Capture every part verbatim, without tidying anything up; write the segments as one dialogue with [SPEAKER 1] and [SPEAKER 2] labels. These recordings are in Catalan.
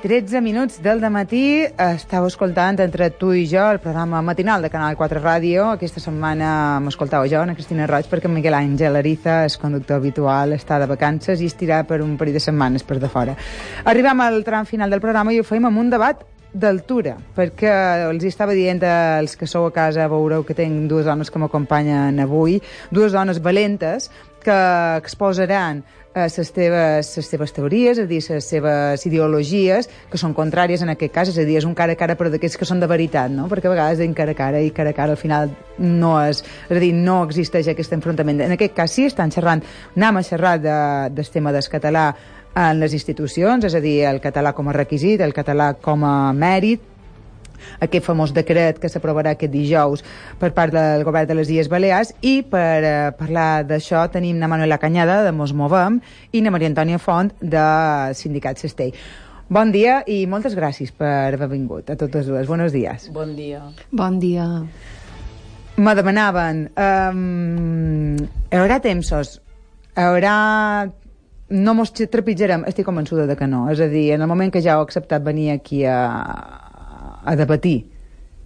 [SPEAKER 1] tretze minuts del dematí. Estàu escoltant Entre tu i jo, el programa matinal de Canal quatre Ràdio. Aquesta setmana m'escoltau jo, Ana Cristina Roig, perquè Miguel Àngel Ariza, el conductor habitual, està de vacances i estirà per un parell de setmanes per de fora. Arribem al tram final del programa i ho feim amb un debat d'altura, perquè els estava dient als que sou a casa, veureu que tinc dues dones que m'acompanyen avui, dues dones valentes que exposaran les teves, les teves teories, és a dir, les seves ideologies, que són contràries en aquest cas, és a dir, és un cara a cara però d'aquests que són de veritat, no? Perquè a vegades dient cara a cara i cara a cara al final no és, és a dir, no existeix aquest enfrontament. En aquest cas sí, estan xerrant, anem a xerrar de, del tema del català en les institucions, és a dir, el català com a requisit, el català com a mèrit, aquest famós decret que s'aprovarà aquest dijous per part del govern de les Illes Balears. I per eh, parlar d'això tenim na Manuela Cañada, de Mos Movem, i na Maria Antònia Font, de Sindicat Cestell. Bon dia i moltes gràcies per haver vingut a totes dues. Buenos días.
[SPEAKER 2] Bon dia.
[SPEAKER 3] Bon dia.
[SPEAKER 1] Me demanaven, um, hi haurà tempsos, hi haurà... No mos trepitjarem? Estic convençuda de que no. És a dir, en el moment que ja heu acceptat venir aquí a, a debatir,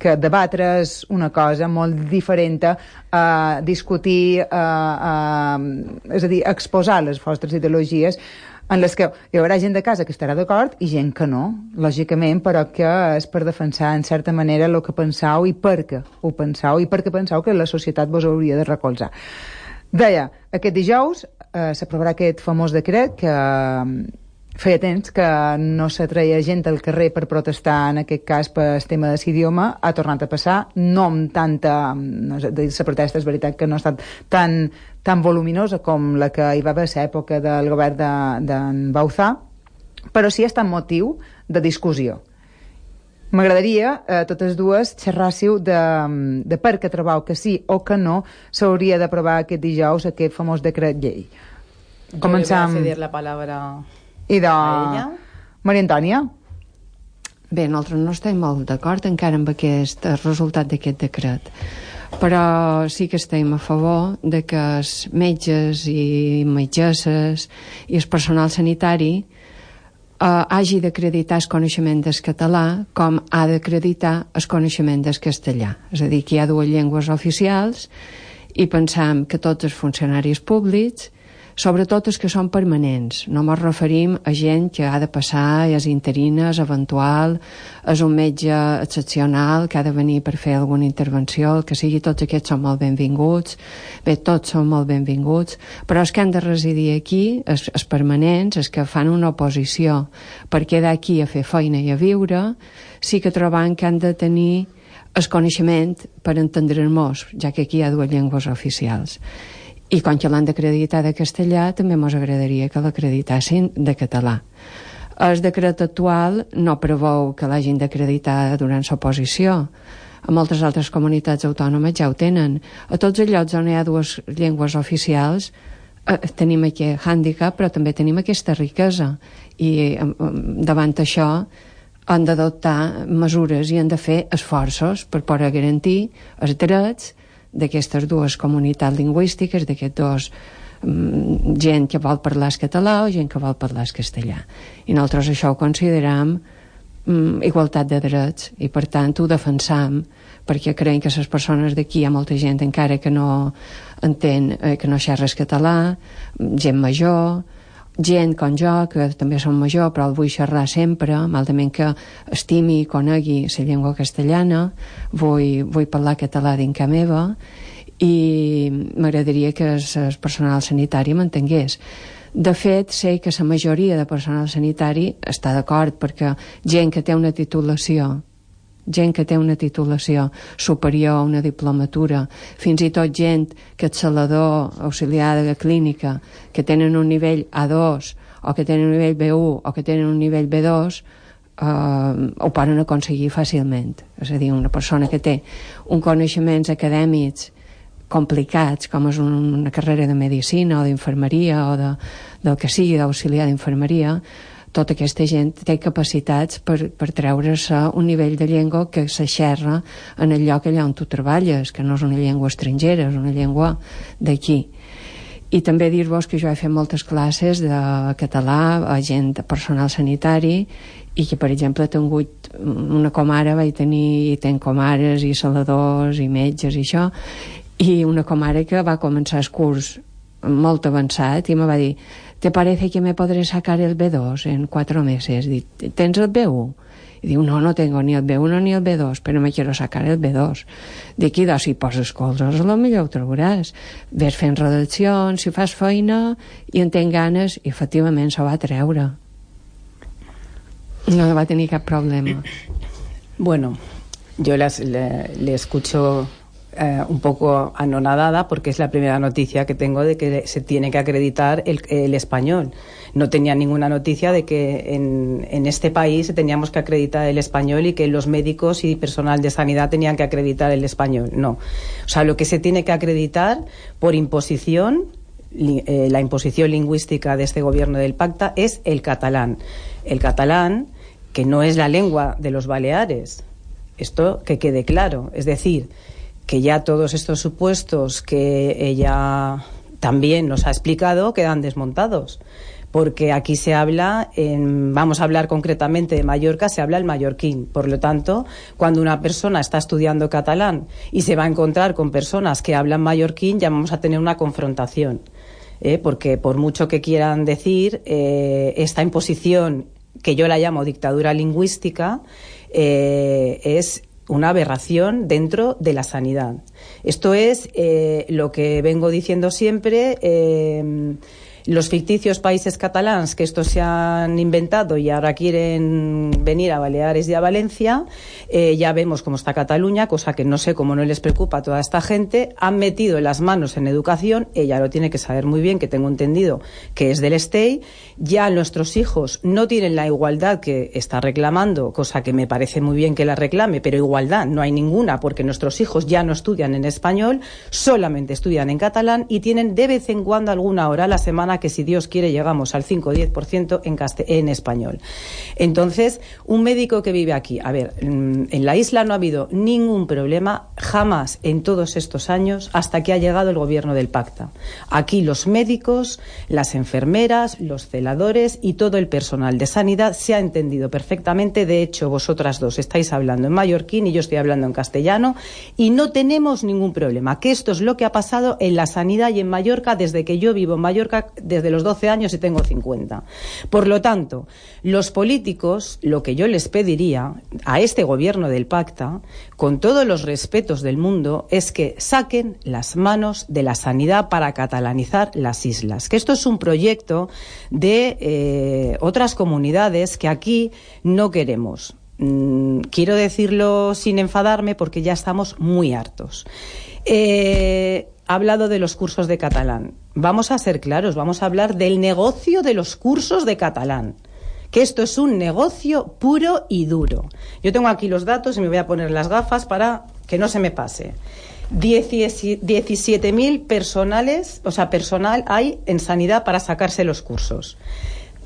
[SPEAKER 1] que debatre és una cosa molt diferent a discutir, a, a, és a dir, a exposar les vostres ideologies, en les que hi haurà gent de casa que estarà d'acord i gent que no, lògicament, però que és per defensar en certa manera el que penseu i per què ho penseu i per què penseu que la societat vos hauria de recolzar. Deia, aquest dijous eh, s'aprovarà aquest famós decret que eh, feia temps que no s'atreia gent al carrer per protestar, en aquest cas per el tema de l'idioma, ha tornat a passar, no amb tanta... No sé, la protesta és veritat que no ha estat tan, tan voluminosa com la que hi va haver a l'època del govern d'en de, Bauzá, però sí ha estat motiu de discussió. M'agradaria, eh, totes dues, xerràssiu de, de per què trobeu que sí o que no s'hauria d'aprovar aquest dijous aquest famós decret llei.
[SPEAKER 2] Començam... Jo li voy a cedir la palabra
[SPEAKER 1] I de...
[SPEAKER 2] a ella.
[SPEAKER 1] Maria Antònia?
[SPEAKER 3] Bé, nosaltres no estem molt d'acord encara amb aquest resultat d'aquest decret, però sí que estem a favor de que els metges i metgesses i el personal sanitari Uh, hagi d'acreditar el coneixement del català com ha d'acreditar el coneixement del castellà. És a dir, que hi ha dues llengües oficials i pensam que tots els funcionaris públics, sobretot els que són permanents, no ens referim a gent que ha de passar, és interina, és eventual, és un metge excepcional que ha de venir per fer alguna intervenció, el que sigui, tots aquests són molt benvinguts, bé, tots són molt benvinguts, però els que han de residir aquí, els, els permanents, els que fan una oposició per quedar aquí a fer feina i a viure, sí que trobam que han de tenir el coneixement per entendre'ns, ja que aquí hi ha dues llengües oficials. I com que l'han d'acreditar de castellà, també ens agradaria que l'acreditassin de català. El decret actual no preveu que l'hagin d'acreditar durant l'oposició. A moltes altres comunitats autònomes ja ho tenen. A tots els llocs on hi ha dues llengües oficials eh, tenim aquest hàndicap, però també tenim aquesta riquesa. I eh, davant això han d'adoptar mesures i han de fer esforços per poder garantir els drets d'aquestes dues comunitats lingüístiques, d'aquests dos um, gent que vol parlar el català o gent que vol parlar el castellà. I nosaltres això ho consideram um, igualtat de drets i per tant ho defensam perquè creiem que les persones d'aquí hi ha molta gent encara que no entén, eh, que no xerra el català, gent major, gent com jo, que també som major però el vull xerrar sempre, malament que estimi i conegui la llengua castellana, vull, vull parlar català dins casa meva i m'agradaria que el personal sanitari m'entengués. De fet, sé que la majoria de personal sanitari està d'acord perquè gent que té una titulació gent que té una titulació superior a una diplomatura, fins i tot gent que és salador, auxiliar de clínica, que tenen un nivell A dos o que tenen un nivell B u o que tenen un nivell B dos, eh, ho poden aconseguir fàcilment. És a dir, una persona que té un coneixements acadèmics complicats, com és una carrera de medicina o d'infermeria o de, del que sigui, d'auxiliar d'infermeria, tota aquesta gent té capacitats per, per treure-se un nivell de llengua que se xerra en el lloc allà on tu treballes, que no és una llengua estrangera, és una llengua d'aquí. I també dir-vos que jo he fet moltes classes de català a gent, personal sanitari, i que, per exemple, he tingut una comare, vaig tenir, i tenc comares i saladors i metges i això, i una comare que va començar el curs molt avançat i me va dir, ¿te parece que me podré sacar el B dos en cuatro meses? Dic, ¿tens el B uno? I diu, no, no tengo ni el B uno ni el B dos, però me quiero sacar el B dos. Dic, i doncs, si poses colzes, a lo millor ho trobaràs. Ves fent redaccions, si fas feina i en tens ganes, i efectivament s'ho va treure. No va tener cap problema.
[SPEAKER 2] Bueno, yo las, le, le escucho eh, un poco anonadada porque es la primera noticia que tengo de que se tiene que acreditar el, el español. No tenía ninguna noticia de que en, en este país teníamos que acreditar el español y que los médicos y personal de sanidad tenían que acreditar el español. No. O sea, lo que se tiene que acreditar por imposición, li, eh, la imposición lingüística de este gobierno del Pacta, es el catalán. El catalán, que no es la lengua de los Baleares. Esto que quede claro. Es decir, que ya todos estos supuestos que ella también nos ha explicado quedan desmontados. Porque aquí se habla, en, vamos a hablar concretamente de Mallorca, se habla el mallorquín. Por lo tanto, cuando una persona está estudiando catalán y se va a encontrar con personas que hablan mallorquín, ya vamos a tener una confrontación. ¿eh? Porque por mucho que quieran decir, eh, esta imposición, que yo la llamo dictadura lingüística, eh, es una aberración dentro de la sanidad. Esto es eh, lo que vengo diciendo siempre. Eh, Los ficticios países catalans que estos se han inventado y ahora quieren venir a Baleares y a Valencia, eh, ya vemos cómo está Cataluña, cosa que no sé cómo no les preocupa a toda esta gente. Han metido las manos en educación, ella lo tiene que saber muy bien, que tengo entendido que es del Estey. Ya nuestros hijos no tienen la igualdad que está reclamando, cosa que me parece muy bien que la reclame, pero igualdad no hay ninguna, porque nuestros hijos ya no estudian en español, solamente estudian en catalán y tienen de vez en cuando alguna hora a la semana que, si Dios quiere, llegamos al cinco o diez por ciento en, en español. Entonces, un médico que vive aquí, a ver, en la isla no ha habido ningún problema jamás en todos estos años hasta que ha llegado el gobierno del Pacta. Aquí los médicos, las enfermeras, los celadores y todo el personal de sanidad se ha entendido perfectamente. De hecho, vosotras dos estáis hablando en mallorquín y yo estoy hablando en castellano y no tenemos ningún problema. Que esto es lo que ha pasado en la sanidad y en Mallorca desde que yo vivo en Mallorca, desde los doce años y tengo cincuenta. Por lo tanto, los políticos, lo que yo les pediría a este gobierno del Pacta, con todos los respetos del mundo, es que saquen las manos de la sanidad para catalanizar las islas. Que esto es un proyecto de eh, otras comunidades que aquí no queremos. Mm, quiero decirlo sin enfadarme porque ya estamos muy hartos. Eh... Ha hablado de los cursos de catalán. Vamos a ser claros, vamos a hablar del negocio de los cursos de catalán. Que esto es un negocio puro y duro. Yo tengo aquí los datos y me voy a poner las gafas para que no se me pase. diecisiete mil personales, o sea, personal hay en sanidad para sacarse los cursos.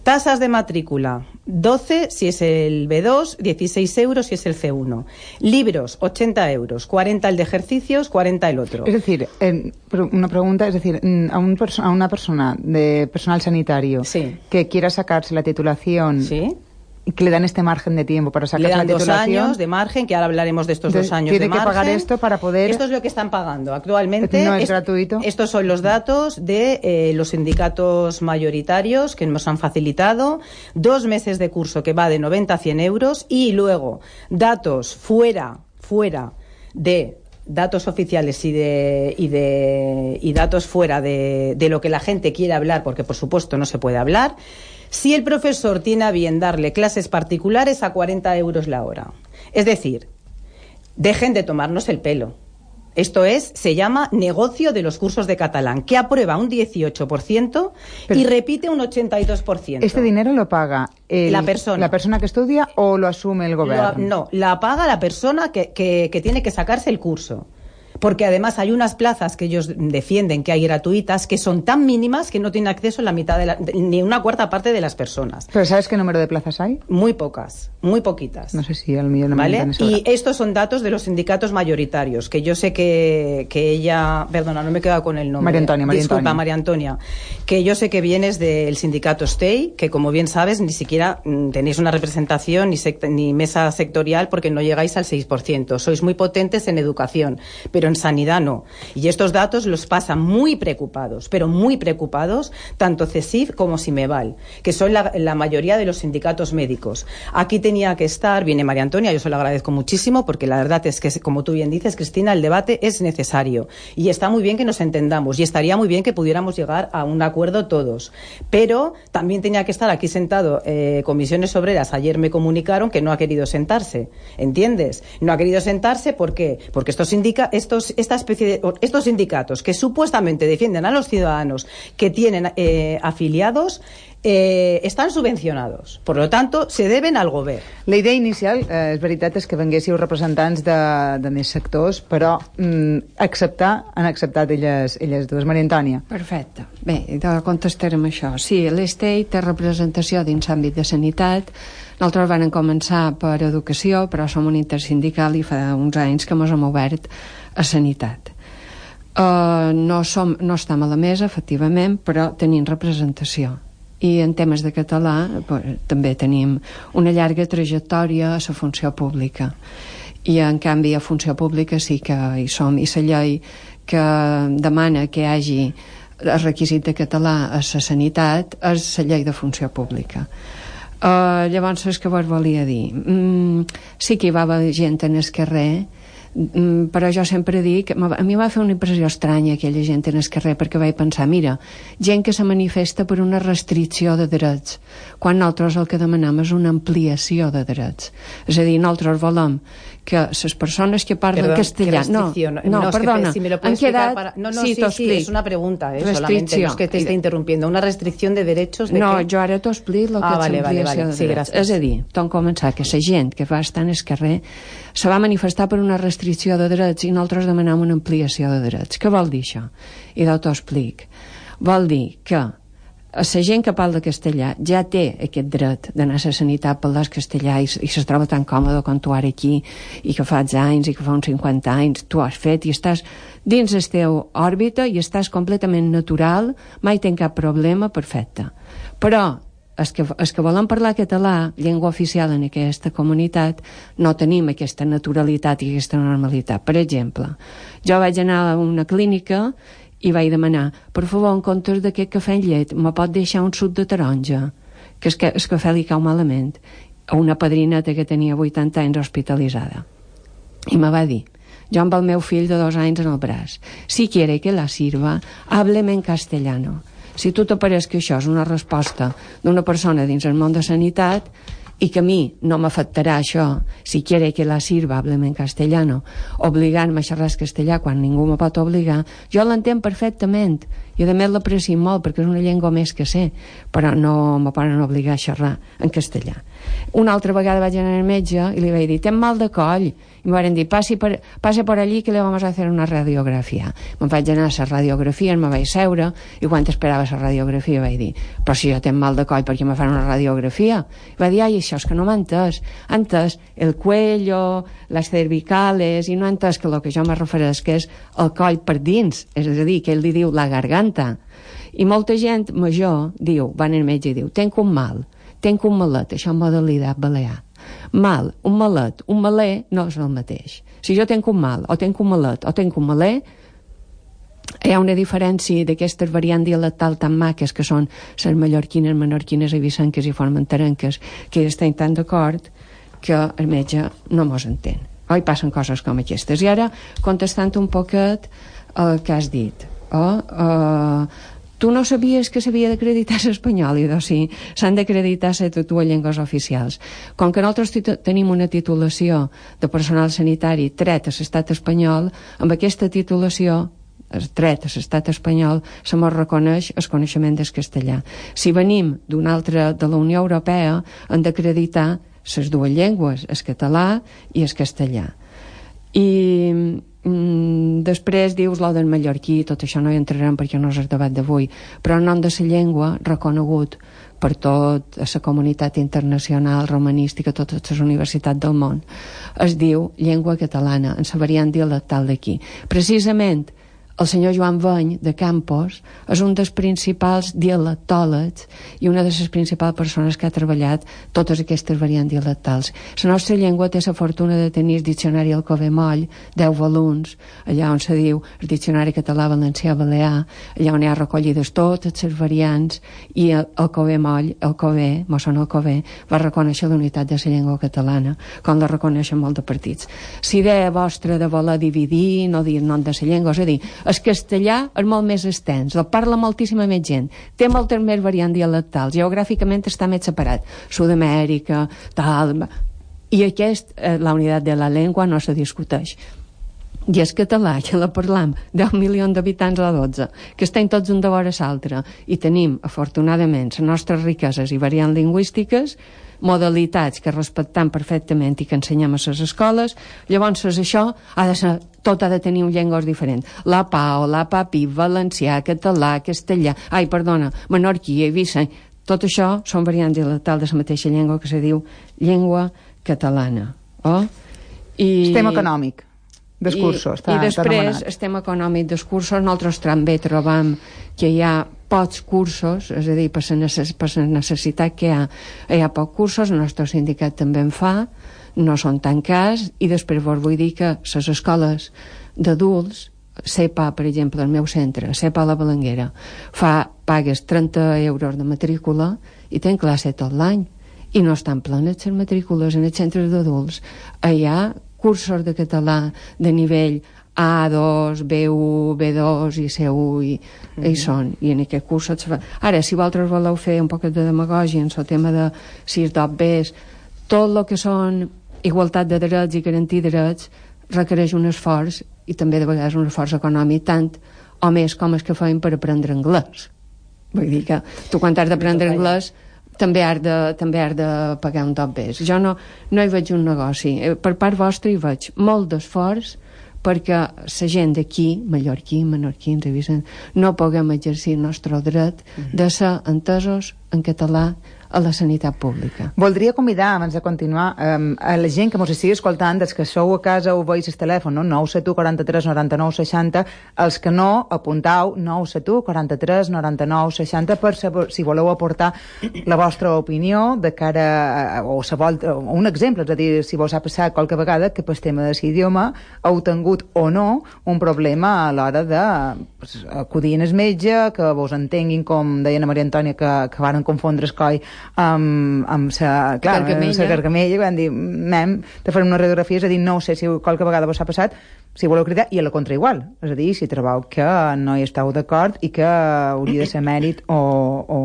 [SPEAKER 2] Tasas de matrícula, doce si es el B dos, dieciséis euros si es el C uno. Libros, ochenta euros, cuarenta el de ejercicios, cuarenta el otro.
[SPEAKER 1] Es decir, eh, una pregunta, es decir, a, un perso a una persona de personal sanitario
[SPEAKER 2] sí.
[SPEAKER 1] que quiera sacarse la titulación...
[SPEAKER 2] Sí.
[SPEAKER 1] Y que le dan este margen de tiempo para sacar la titulación.
[SPEAKER 2] Le dan dos años de margen, que ahora hablaremos de estos de, dos años de margen.
[SPEAKER 1] Tiene que pagar esto para poder...
[SPEAKER 2] Esto es lo que están pagando actualmente.
[SPEAKER 1] No es,
[SPEAKER 2] es
[SPEAKER 1] gratuito.
[SPEAKER 2] Estos son los datos de eh, los sindicatos mayoritarios que nos han facilitado. Dos meses de curso que va de noventa a cien euros y luego datos fuera, fuera de... datos oficiales y de y de y datos fuera de, de lo que la gente quiere hablar, porque por supuesto no se puede hablar. Si el profesor tiene a bien darle clases particulares a cuarenta euros la hora. Es decir, dejen de tomarnos el pelo. Esto es, se llama negocio de los cursos de catalán, que aprueba un dieciocho por ciento Pero y repite un ochenta y dos por ciento.
[SPEAKER 1] ¿Este dinero lo paga el,
[SPEAKER 2] la persona
[SPEAKER 1] la persona que estudia o lo asume el gobierno?
[SPEAKER 2] Lo, no, la paga la persona que, que, que tiene que sacarse el curso. porque además hay unas plazas que ellos defienden que hay gratuitas que son tan mínimas que no tienen acceso la mitad de la, ni una cuarta parte de las personas.
[SPEAKER 1] ¿Pero sabes qué número de plazas hay?
[SPEAKER 2] Muy pocas, muy poquitas.
[SPEAKER 1] No sé si al millón no me
[SPEAKER 2] ¿Vale? Y estos son datos de los sindicatos mayoritarios, que yo sé que, que ella, perdona, no me he quedado con el nombre.
[SPEAKER 1] María Antonia, María
[SPEAKER 2] Disculpa,
[SPEAKER 1] Antonia.
[SPEAKER 2] María Antonia, que yo sé que vienes del sindicato STEI, que como bien sabes, ni siquiera mm, tenéis una representación ni, secta, ni mesa sectorial porque no llegáis al seis por ciento. Sois muy potentes en educación, pero en sanidad no. Y estos datos los pasan muy preocupados, pero muy preocupados, tanto CESIF como Simeval, que son la, la mayoría de los sindicatos médicos. Aquí tenía que estar, viene María Antonia, yo se lo agradezco muchísimo, porque la verdad es que, como tú bien dices, Cristina, el debate es necesario. Y está muy bien que nos entendamos, y estaría muy bien que pudiéramos llegar a un acuerdo todos. Pero también tenía que estar aquí sentado eh, Comisiones Obreras. Ayer me comunicaron que no ha querido sentarse, ¿entiendes? No ha querido sentarse, ¿por qué? Porque estos, indica, estos, esta especie de, estos sindicatos que supuestamente defienden a los ciudadanos que tienen eh, afiliados, eh, estan subvencionados. Per tant, se deben al govern.
[SPEAKER 1] La idea inicial, eh, és veritat, és que venguéssiu representants de, de més sectors, però mm, acceptar, han acceptat elles, elles dues. Maria Antònia.
[SPEAKER 3] Perfecte. Bé, de contestarem això. Sí, l'Estei té representació dins l'àmbit de sanitat. Nosaltres vam començar per educació, però som un intersindical i fa uns anys que ens hem obert a sanitat. Uh, no, som, no estem a la mesa, efectivament, però tenim representació. I en temes de català pues, també tenim una llarga trajectòria a la funció pública. I en canvi a funció pública sí que hi som. I la llei que demana que hi hagi el requisit de català a la sanitat és la llei de funció pública. Uh, llavors, és que vos volia dir, mm, sí que hi va haver gent en el carrer, mm, però jo sempre dic, a mi va fer una impressió estranya aquella gent en el carrer, perquè vaig pensar, mira, gent que se manifesta per una restricció de drets, quan nosaltres el que demanem és una ampliació de drets. És a dir, nosaltres volem que les persones que parlen
[SPEAKER 2] Perdón,
[SPEAKER 3] castellà... No, no,
[SPEAKER 2] no,
[SPEAKER 3] no perdona.
[SPEAKER 2] Que, si me lo puedes explicar para... No, no, sí, sí, sí, es una pregunta, eh, solamente, no es que te esté interrumpiendo. Una restricció de derechos... De
[SPEAKER 3] no,
[SPEAKER 2] que...
[SPEAKER 3] jo ara t'ho explico el que
[SPEAKER 2] ah,
[SPEAKER 3] és
[SPEAKER 2] vale,
[SPEAKER 3] ampliació
[SPEAKER 2] vale, vale.
[SPEAKER 3] de
[SPEAKER 2] Sí,
[SPEAKER 3] drets.
[SPEAKER 2] gràcies.
[SPEAKER 3] És a dir, tom començar que la gent que va estar en el carrer se va manifestar per una restricció de drets i nosaltres demanam una ampliació de drets. Què vol dir això? I t'ho explic. Vol dir que la gent que parla castellà ja té aquest dret d'anar a la sanitat per parlar castellà i, i se troba tan còmode com tu ara aquí i que fa anys i que fa uns cinquanta anys tu has fet i estàs dins el teu òrbita i estàs completament natural, mai tens cap problema, perfecte. Però els que, els que volen parlar català, llengua oficial en aquesta comunitat, no tenim aquesta naturalitat i aquesta normalitat. Per exemple, jo vaig anar a una clínica i vaig demanar, per favor, en comptes d'aquest cafè amb llet, me pot deixar un suc de taronja, que el, el cafè li cau malament, a una padrineta que tenia vuitanta anys hospitalitzada. I me va dir, jo amb el meu fill de dos anys en el braç, si quiere que la sirva, hábleme en castellano. Si tu te pareix que això és una resposta d'una persona dins el món de sanitat i que a mi no m'afectarà això, si quiere que la sirva, hábleme en castellano, obligant-me a xerrar castellà quan ningú me pot obligar, jo l'entenc perfectament i a més l'aprecio molt perquè és una llengua més que sé, però no me poden obligar a xerrar en castellà. Una altra vegada vaig anar al metge i li vaig dir, ten mal de coll, i em van dir, passi per, pase por allí que le vamos a hacer una radiografia. Me'n vaig anar a la radiografia, me vaig seure i quan esperava la radiografia vaig dir, però si jo tenc mal de coll perquè me fan una radiografia? I va dir, ai, això és que no m'ha entès, ha entès el cuello, les cervicales, i no ha entès que el que jo me refereix que és el coll per dins, és a dir, que ell li diu la garganta. I molta gent major diu, van al metge i diu, tenc un mal, tenc un malet, això en modalitat balear. Mal, un malet, un malè no és el mateix. Si jo tenc un mal, o tenc un malet, o tenc un malè, hi ha una diferència d'aquestes variants dialectals tan maques que són les mallorquines, menorquines, evissenques i formenterenques, que estem tan d'acord que el metge no mos entén. Oi, passen coses com aquestes. I ara, contestant un poquet el que has dit, oh, uh, tu no sabies que s'havia d'acreditar l'espanyol, i doncs sí, s'han d'acreditar les dues llengües oficials. Com que nosaltres tenim una titulació de personal sanitari tret a l'estat espanyol, amb aquesta titulació, tret a l'estat espanyol, se mos reconeix el coneixement del castellà. Si venim d'una altra de la Unió Europea, hem d'acreditar les dues llengües, el català i el castellà. I Mm, després dius lo del mallorquí, tot això no hi entrarem perquè no és el debat d'avui, però el nom de la llengua reconegut per tot a la comunitat internacional romanística, totes les universitats del món, es diu llengua catalana, en la variant dialectal d'aquí. Precisament el senyor Joan Beny, de Campos, és un dels principals dialectòlegs i una de les principals persones que ha treballat totes aquestes variants dialectals. La nostra llengua té la fortuna de tenir el diccionari Alcover Moll, deu volums, allà on se diu el diccionari català valencià balear, allà on hi ha recollides totes les variants, i el Alcover Moll, Alcover, mossèn Alcover, va reconèixer la unitat de la llengua catalana, com la reconeixen molts de partits. La idea vostra de voler dividir, no dir nom de la llengua, és a dir, el castellà és molt més extens, el parla moltíssima més gent, té moltes més variants dialectals, geogràficament està més separat, Sud-amèrica, tal, i aquest, eh, la unitat de la llengua no se discuteix. I el català, que la parlam deu milions d'habitants o dotze, que estem tots un de vora l'altre, i tenim, afortunadament, les nostres riqueses i variants lingüístiques, modalitats que respectam perfectament i que ensenyem a les escoles, llavors això ha de ser, tot ha de tenir un llengües diferent. La pau, la papi, valencià, català, castellà, ai, perdona, menorquí, eivisseny, tot això són variants dialectals de la mateixa llengua que se diu llengua catalana. Oh? I...
[SPEAKER 1] Sistema econòmic. Discursos.
[SPEAKER 3] I, i després, estem econòmic discursos, nosaltres també trobam que hi ha pocs cursos, és a dir, per la, necess per la necessitat que hi ha, hi ha pocs cursos, el nostre sindicat també en fa, no són tan cars, i després vos vull dir que les escoles d'adults, C E P A, per exemple, el meu centre, C E P A La Balanguera, fa, pagues trenta euros de matrícula i tenen classe tot l'any, i no estan plenes les matrícules en els centres d'adults. Hi ha cursos de català de nivell A dos, B u, B dos i C u i, mm-hmm. i són, i en aquest curs fa... Ara, si vosaltres voleu fer un poc de demagògia en el tema de sis dot Bs, tot el que són igualtat de drets i garantir drets requereix un esforç, i també de vegades un esforç econòmic, tant o més com els que feim per aprendre anglès. Vull dir que tu quan has d'aprendre anglès també has de, també has de pagar un dot Bs. Jo no, no hi veig un negoci. Per part vostra hi veig molt d'esforç perquè la gent d'aquí, mallorquí, menorquins, no puguem exercir el nostre dret de ser entesos en català a la sanitat pública.
[SPEAKER 1] Voldria convidar, abans de continuar, um, a la gent que mos estigui escoltant, dels que sou a casa o veus el telèfon, no? nou set u quaranta-tres noranta-nou seixanta, els que no, apuntau nou set u quaranta-tres noranta-nou seixanta per saber, si voleu aportar la vostra opinió de cara a, o, sa vol, o un exemple, és a dir, si vos ha passat qualque vegada que pel tema de l'idioma heu tingut o no un problema a l'hora de pues, acudir en el metge, que vos entenguin, com deia Maria Antònia, que, que varen confondre el coi amb, amb sa, clar, sa gargamella, quan dir, mem, te farem una radiografia, és a dir, no sé si qualque vegada vos ha passat, si voleu cridar, i a la contra igual, és a dir, si trobeu que no hi esteu d'acord i que hauria de ser mèrit o, o,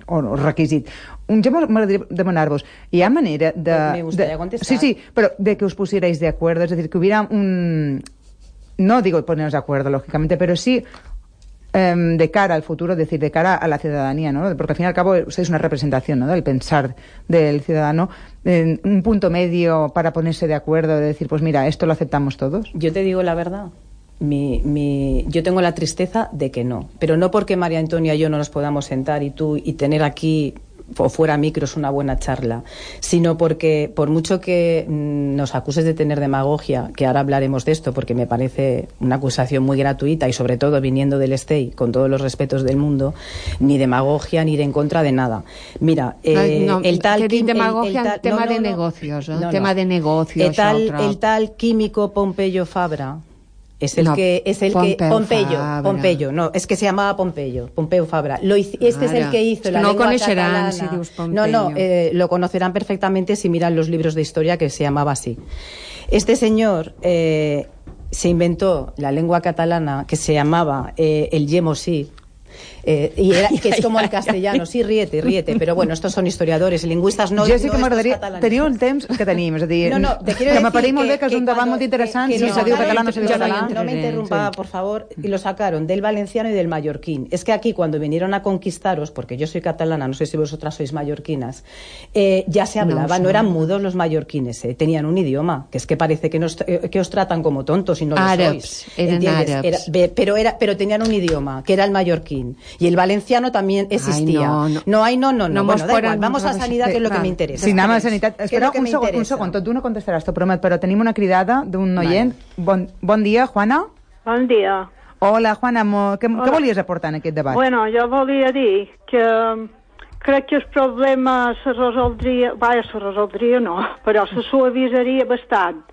[SPEAKER 1] o requisit. Un, jo m'agradaria demanar-vos, hi ha manera de...
[SPEAKER 2] Me gustaría contestar.
[SPEAKER 1] Sí, sí, però de que us pusierais de acuerdo, es decir, que hubiera un... No digo ponernos de acuerdo, lógicamente, pero sí... de cara al futuro, es decir, de cara a la ciudadanía, ¿no? Porque al fin y al cabo es una representación, ¿no?, del pensar del ciudadano, en un punto medio para ponerse de acuerdo, de decir, pues mira, esto lo aceptamos todos.
[SPEAKER 2] Yo te digo la verdad, mi, mi, yo tengo la tristeza de que no, pero no porque María Antonia y yo no nos podamos sentar y tú y tener aquí o fuera micros una buena charla, sino porque por mucho que nos acuses de tener demagogia, que ahora hablaremos de esto porque me parece una acusación muy gratuita y sobre todo viniendo del S T E I, con todos los respetos del mundo, ni demagogia ni ir en contra de nada. Mira, eh,
[SPEAKER 3] no,
[SPEAKER 2] el tal...
[SPEAKER 3] Que demagogia,
[SPEAKER 2] el, el tal,
[SPEAKER 3] tema
[SPEAKER 2] no, no,
[SPEAKER 3] de
[SPEAKER 2] no,
[SPEAKER 3] negocios, ¿eh?
[SPEAKER 2] no, no.
[SPEAKER 3] tema de negocios.
[SPEAKER 2] El tal, el tal químico Pompeyo Fabra, es el
[SPEAKER 3] no,
[SPEAKER 2] que es el
[SPEAKER 3] Pompeu
[SPEAKER 2] que Pompeyo,
[SPEAKER 3] Fabra.
[SPEAKER 2] Pompeyo, no, es que se llamaba Pompeyo, Pompeu Fabra. Lo hizo, este Ara. es el que hizo la
[SPEAKER 3] no
[SPEAKER 2] lengua
[SPEAKER 3] conocerán
[SPEAKER 2] catalana.
[SPEAKER 3] si dius
[SPEAKER 2] no, no, eh, lo conocerán perfectamente si miran los libros de historia, que se llamaba así. Este señor eh, se inventó la lengua catalana que se llamaba eh, el Yemosí, Eh, y, era, y que es como el castellano, sí, ríete, ríete, pero bueno, estos son historiadores, lingüistas no...
[SPEAKER 1] Jo sí que
[SPEAKER 2] no
[SPEAKER 1] m'agradaria... Teniu el temps que tenim, és a dir...
[SPEAKER 2] No, no, te quiero
[SPEAKER 1] que
[SPEAKER 2] decir
[SPEAKER 1] m'apareix molt bé que és
[SPEAKER 2] que
[SPEAKER 1] un debat
[SPEAKER 2] cuando,
[SPEAKER 1] molt interessant,
[SPEAKER 2] que, que
[SPEAKER 1] si
[SPEAKER 2] no,
[SPEAKER 1] se diu
[SPEAKER 2] sacaron,
[SPEAKER 1] català, no se diu
[SPEAKER 2] no,
[SPEAKER 1] català...
[SPEAKER 2] No me interrumpa, sí. Por favor, y lo sacaron del valenciano y del mallorquín. Es que aquí, cuando vinieron a conquistaros, porque yo soy catalana, no sé si vosotras sois mallorquinas, eh, ya se hablaba, no, no eran mudos los mallorquines, eh, tenían un idioma, que es que parece que, nos, eh, que os tratan como tontos y no lo sois.
[SPEAKER 3] Eran árabes.
[SPEAKER 2] Era, pero, era, pero tenían un idioma, que era el mallorquín. Y el valenciano también existía. Ay, no, no. No hay, no, no, no. no bueno, da igual, vamos a Sanitat, que és el que m'interessa.
[SPEAKER 1] Sí, anem a Sanitat. Espera un segon, un segon, tot d'una contestaràs, t'ho promet, però tenim una cridada d'un oient. Vale. Bon, bon dia, Juana.
[SPEAKER 4] Bon dia.
[SPEAKER 1] Hola, Juana, què, què volies aportar en aquest debat?
[SPEAKER 4] Bueno, jo volia dir que crec que el problema se resoldria, vaja, se resoldria no, però se suavisaria bastant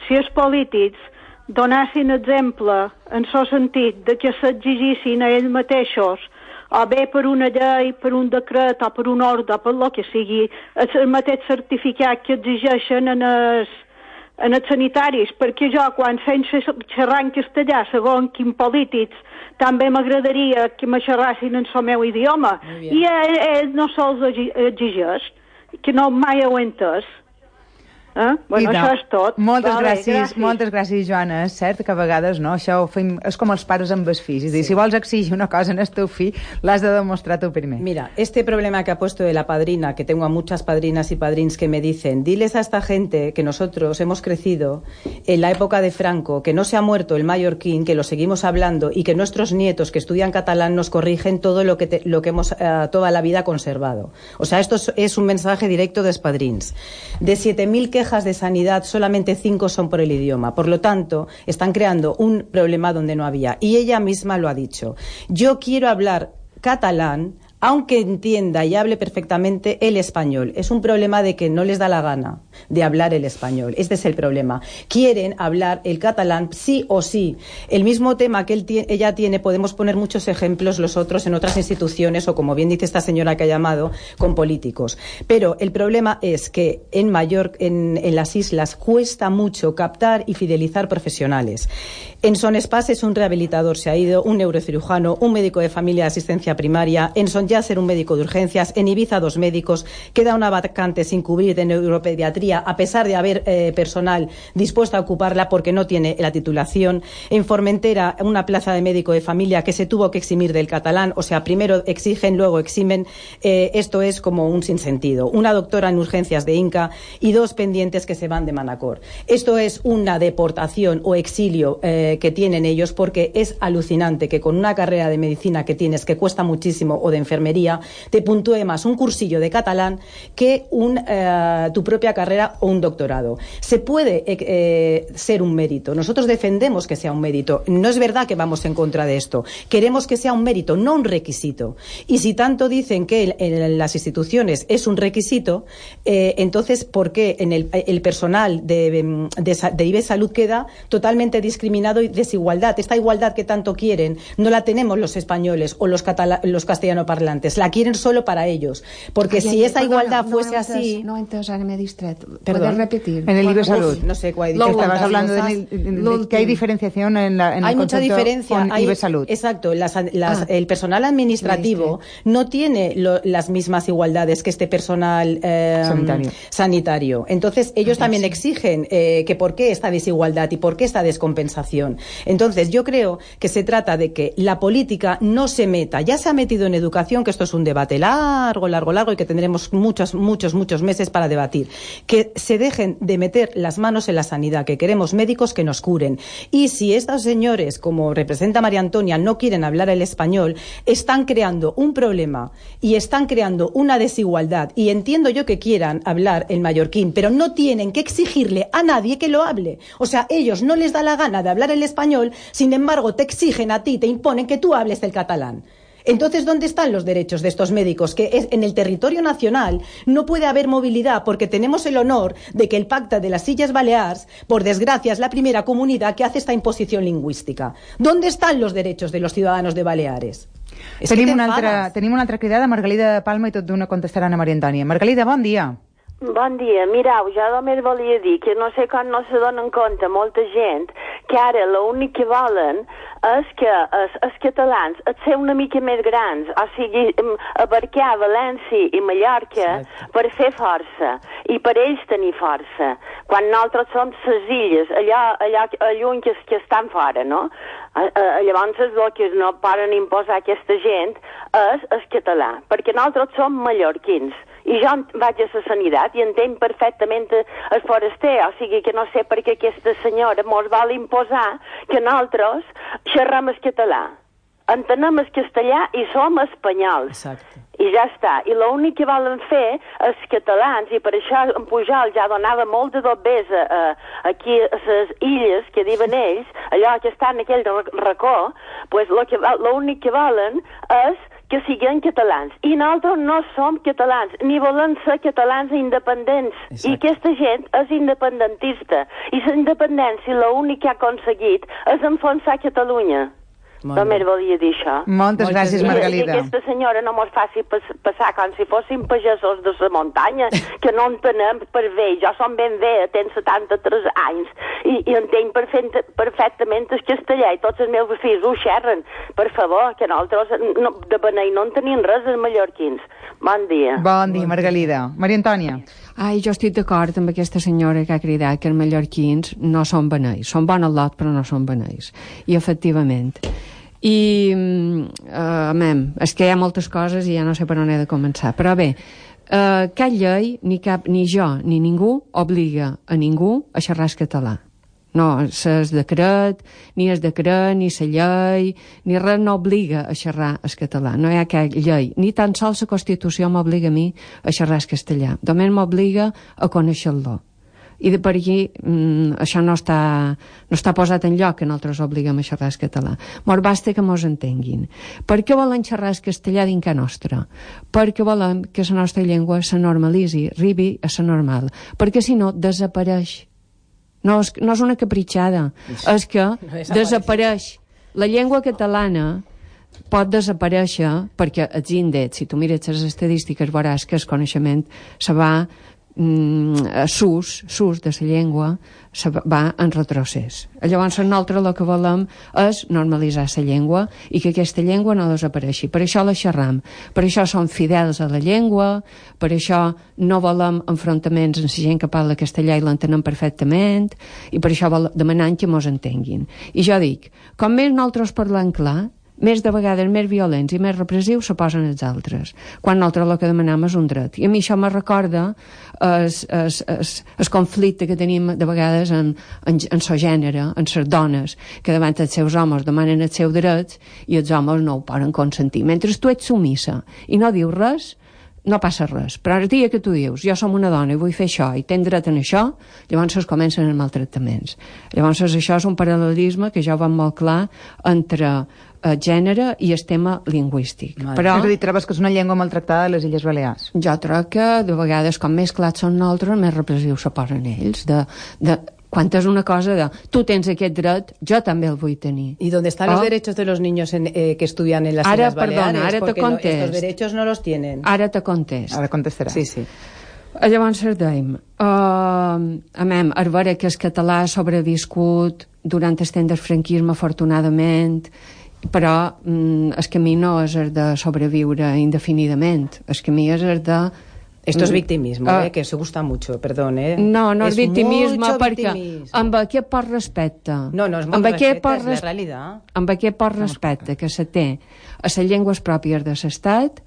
[SPEAKER 4] si els polítics donessin exemple en el sentit de que s'exigissin a ells mateixos, o bé per una llei, per un decret o per un ordre, per el que sigui, el mateix certificat que exigeixen en els, en els sanitaris, perquè jo quan feim xerrar en castellà, segons quins polítics, també m'agradaria que me xerrassin en el meu idioma. I ell no se'ls exigeix, que no mai ho he entès. Eh? Bueno,
[SPEAKER 1] no.
[SPEAKER 4] Això és tot.
[SPEAKER 1] Moltes
[SPEAKER 4] vale,
[SPEAKER 1] gràcies,
[SPEAKER 4] gràcies,
[SPEAKER 1] moltes gràcies, Joana. És cert que a vegades no, això ho fem, és com els pares amb els fills. És dir, sí. Si vols exigir una cosa en el teu fill, l'has de demostrar tu primer.
[SPEAKER 2] Mira, este problema que ha puesto de la padrina, que tengo a muchas padrinas y padrins que me dicen, diles a esta gente que nosotros hemos crecido en la época de Franco, que no se ha muerto el mallorquín, que lo seguimos hablando y que nuestros nietos que estudian catalán nos corrigen todo lo que, te, lo que hemos uh, toda la vida conservado. O sea, esto es, es un mensaje directo de padrins. De siete mil quejas de sanidad, solamente cinco son por el idioma. Por lo tanto, están creando un problema donde no había. Y ella misma lo ha dicho. Yo quiero hablar catalán, aunque entienda y hable perfectamente el español. Es un problema de que no les da la gana de hablar el español. Este es el problema. Quieren hablar el catalán sí o sí. El mismo tema que él tiene, ella tiene, podemos poner muchos ejemplos los otros en otras instituciones o, como bien dice esta señora que ha llamado, con políticos. Pero el problema es que en Mallorca, en, en las islas, cuesta mucho captar y fidelizar profesionales. En Son Espas es un rehabilitador, se ha ido, un neurocirujano, un médico de familia de asistencia primaria, en Son Yasser un médico de urgencias, en Ibiza dos médicos, queda una vacante sin cubrir de neuropediatría a pesar de haber eh, personal dispuesto a ocuparla porque no tiene la titulación, en Formentera una plaza de médico de familia que se tuvo que eximir del catalán, o sea, primero exigen, luego eximen, eh, esto es como un sinsentido, una doctora en urgencias de Inca y dos pendientes que se van de Manacor. Esto es una deportación o exilio eh, que tienen ellos porque es alucinante que con una carrera de medicina que tienes que cuesta muchísimo o de enfermería, te puntúe más un cursillo de catalán que un, eh, tu propia carrera o un doctorado. Se puede eh, ser un mérito. Nosotros defendemos que sea un mérito. No es verdad que vamos en contra de esto. Queremos que sea un mérito, no un requisito. Y si tanto dicen que en, en las instituciones es un requisito, eh, entonces, ¿por qué en el, el personal de, de, de I B E Salud queda totalmente discriminado y desigualdad? Esta igualdad que tanto quieren no la tenemos los españoles o los, catala los castellanoparlantes. La quieren solo para ellos. Porque ay, si ay, esa perdona, igualdad
[SPEAKER 3] no,
[SPEAKER 2] fuese
[SPEAKER 3] no
[SPEAKER 2] así...
[SPEAKER 3] No entes, ara m'he distret.
[SPEAKER 2] Perdón.
[SPEAKER 3] ¿Puedes repetir?
[SPEAKER 1] En el I B E Salud.
[SPEAKER 2] No sé cuál.
[SPEAKER 1] Estabas hablando de, de, de que hay diferenciación en, la, en
[SPEAKER 2] hay
[SPEAKER 1] el
[SPEAKER 2] mucha diferencia.
[SPEAKER 1] con
[SPEAKER 2] hay,
[SPEAKER 1] I B E Salud.
[SPEAKER 2] Exacto. Las, las, ah. El personal administrativo sí, no tiene lo, las mismas igualdades que este personal eh, sanitario. sanitario. Entonces, ellos ah, también sí. exigen eh, que por qué esta desigualdad y por qué esta descompensación. Entonces, yo creo que se trata de que la política no se meta. Ya se ha metido en educación, que esto es un debate largo, largo, largo y que tendremos muchos, muchos, muchos meses para debatir. Que se dejen de meter las manos en la sanidad, que queremos médicos que nos curen. Y si estos señores, como representa María Antonia, no quieren hablar el español, están creando un problema y están creando una desigualdad. Y entiendo yo que quieran hablar el mallorquín, pero no tienen que exigirle a nadie que lo hable. O sea, ellos no les da la gana de hablar el español, sin embargo, te exigen a ti, te imponen que tú hables el catalán. Entonces, ¿dónde están los derechos de estos médicos? Que es, en el territorio nacional no puede haber movilidad porque tenemos el honor de que el Pacta de las Illes Balears, por desgracia, es la primera comunidad que hace esta imposición lingüística. ¿Dónde están los derechos de los ciudadanos de Baleares?
[SPEAKER 1] Es tenim, una altra, tenim una altra cridada, Margalida Palma, i tot d'una contestaran a Maria Antònia. Margalida, bon dia.
[SPEAKER 5] Bon dia. Mireu, jo només volia dir que no sé com no se donen compte molta gent que ara l'únic que volen és que els, els catalans et ser una mica més grans, o sigui, abarcar València i Mallorca sí. per fer força, i per ells tenir força, quan nosaltres som les illes, allò, allò lluny que, que estan fora, no? Llavors el que no poden imposar aquesta gent és el català, perquè nosaltres som mallorquins, i jo vaig a la sanitat i entenc perfectament el foraster, o sigui que no sé per què aquesta senyora mos vol imposar que nosaltres xerrem el català. Entenem el castellà i som espanyols.
[SPEAKER 2] Exacte.
[SPEAKER 5] I ja està. I l'únic que volen fer els catalans, i per això en Pujol ja donava molt de dobbers a, a, aquí a les illes que diuen ells, allò que està en aquell racó, pues l'únic que volen és que siguin catalans. I nosaltres no som catalans, ni volem ser catalans independents. Exacte. I aquesta gent és independentista. I la independència l'únic que ha aconseguit és enfonsar Catalunya. Només volia dir això.
[SPEAKER 1] Moltes gràcies, Margalida.
[SPEAKER 5] I aquesta senyora no mos faci pas, passar com si fóssim pagesos de la muntanya, que no entenem per bé. Jo som ben bé, tenc setanta-tres anys, i, i entenc perfecte, perfectament el castellà, i tots els meus fills ho xerren. Per favor, que nosaltres no, de benei no en tenim res, els mallorquins. Bon dia.
[SPEAKER 1] Bon dia, Margalida. Maria Antònia.
[SPEAKER 3] Ai, jo estic d'acord amb aquesta senyora que ha cridat que els mallorquins no són beneis. Són bon al lot, però no són beneis. I, efectivament. I, uh, amem, és que hi ha moltes coses i ja no sé per on he de començar. Però bé, uh, cap llei, ni, cap, ni jo, ni ningú, obliga a ningú a xerrar català. No, el decret, ni el decret, ni la llei, ni res no obliga a xerrar el català. No hi ha cap llei. Ni tan sols la Constitució m'obliga a mi a xerrar el castellà. Només m'obliga a conèixer-lo. I de per aquí mm, això no està, no està posat en lloc, que nosaltres obliguem a xerrar el català. Mos basta que mos entenguin. Per què volen xerrar el castellà dins casa nostra? Perquè volem que la nostra llengua se normalitzi, arribi a ser normal. Perquè si no, desapareix. No és, no és una capritxada, és que no desapareix. La llengua catalana pot desaparèixer perquè els índexs, si tu mires les estadístiques, veuràs que el coneixement se va mm, s'ús, s'ús de la llengua se va en retrocés. Llavors nosaltres el que volem és normalitzar la llengua i que aquesta llengua no desapareixi. Per això la xerram, per això som fidels a la llengua, per això no volem enfrontaments amb la gent que parla castellà i l'entenem perfectament, i per això demanem que mos entenguin. I jo dic, com més nosaltres parlem clar, més de vegades més violents i més repressius se posen els altres, quan nosaltres el que demanem és un dret. I a mi això me recorda el, el, el, el conflicte que tenim de vegades en, en, en el gènere, en les dones, que davant els seus homes demanen els seus drets i els homes no ho poden consentir. Mentre tu ets submissa i no dius res, no passa res. Però el dia que tu dius, jo som una dona i vull fer això i tenc dret en això, llavors es comencen els maltractaments. Llavors això és un paral·lelisme que jo veig molt clar entre el gènere i el tema lingüístic.
[SPEAKER 1] Però és a dir, trobes que és una llengua maltractada a les Illes Balears?
[SPEAKER 3] Jo trobo que de vegades, com més clars són nosaltres, més repressius se posen ells. De, de, quan és una cosa de tu tens aquest dret, jo també el vull tenir.
[SPEAKER 2] ¿Y dónde están oh? los derechos de los niños en, eh, que estudian en las
[SPEAKER 3] ara,
[SPEAKER 2] Islas Baleares?
[SPEAKER 3] Perdona, ara te contest.
[SPEAKER 2] No, estos derechos no los tienen.
[SPEAKER 3] Ara te contest.
[SPEAKER 1] Ara contestarà.
[SPEAKER 2] Sí, sí.
[SPEAKER 3] Llavors dèiem, uh, amem, a veure que el català ha sobreviscut durant el temps del franquisme, afortunadament, però mm, el camí no és el de sobreviure indefinidament, el camí és el de...
[SPEAKER 2] Esto es victimismo, uh, eh, que se gusta mucho, perdón, eh.
[SPEAKER 3] No, no és, és victimisme perquè
[SPEAKER 2] victimisme.
[SPEAKER 3] Amb aquest poc respecte,
[SPEAKER 2] no, no és molt
[SPEAKER 3] amb
[SPEAKER 2] respecte,
[SPEAKER 3] res...
[SPEAKER 2] és la realitat.
[SPEAKER 3] Amb aquest poc respecte que se té a les llengües pròpies de l'estat,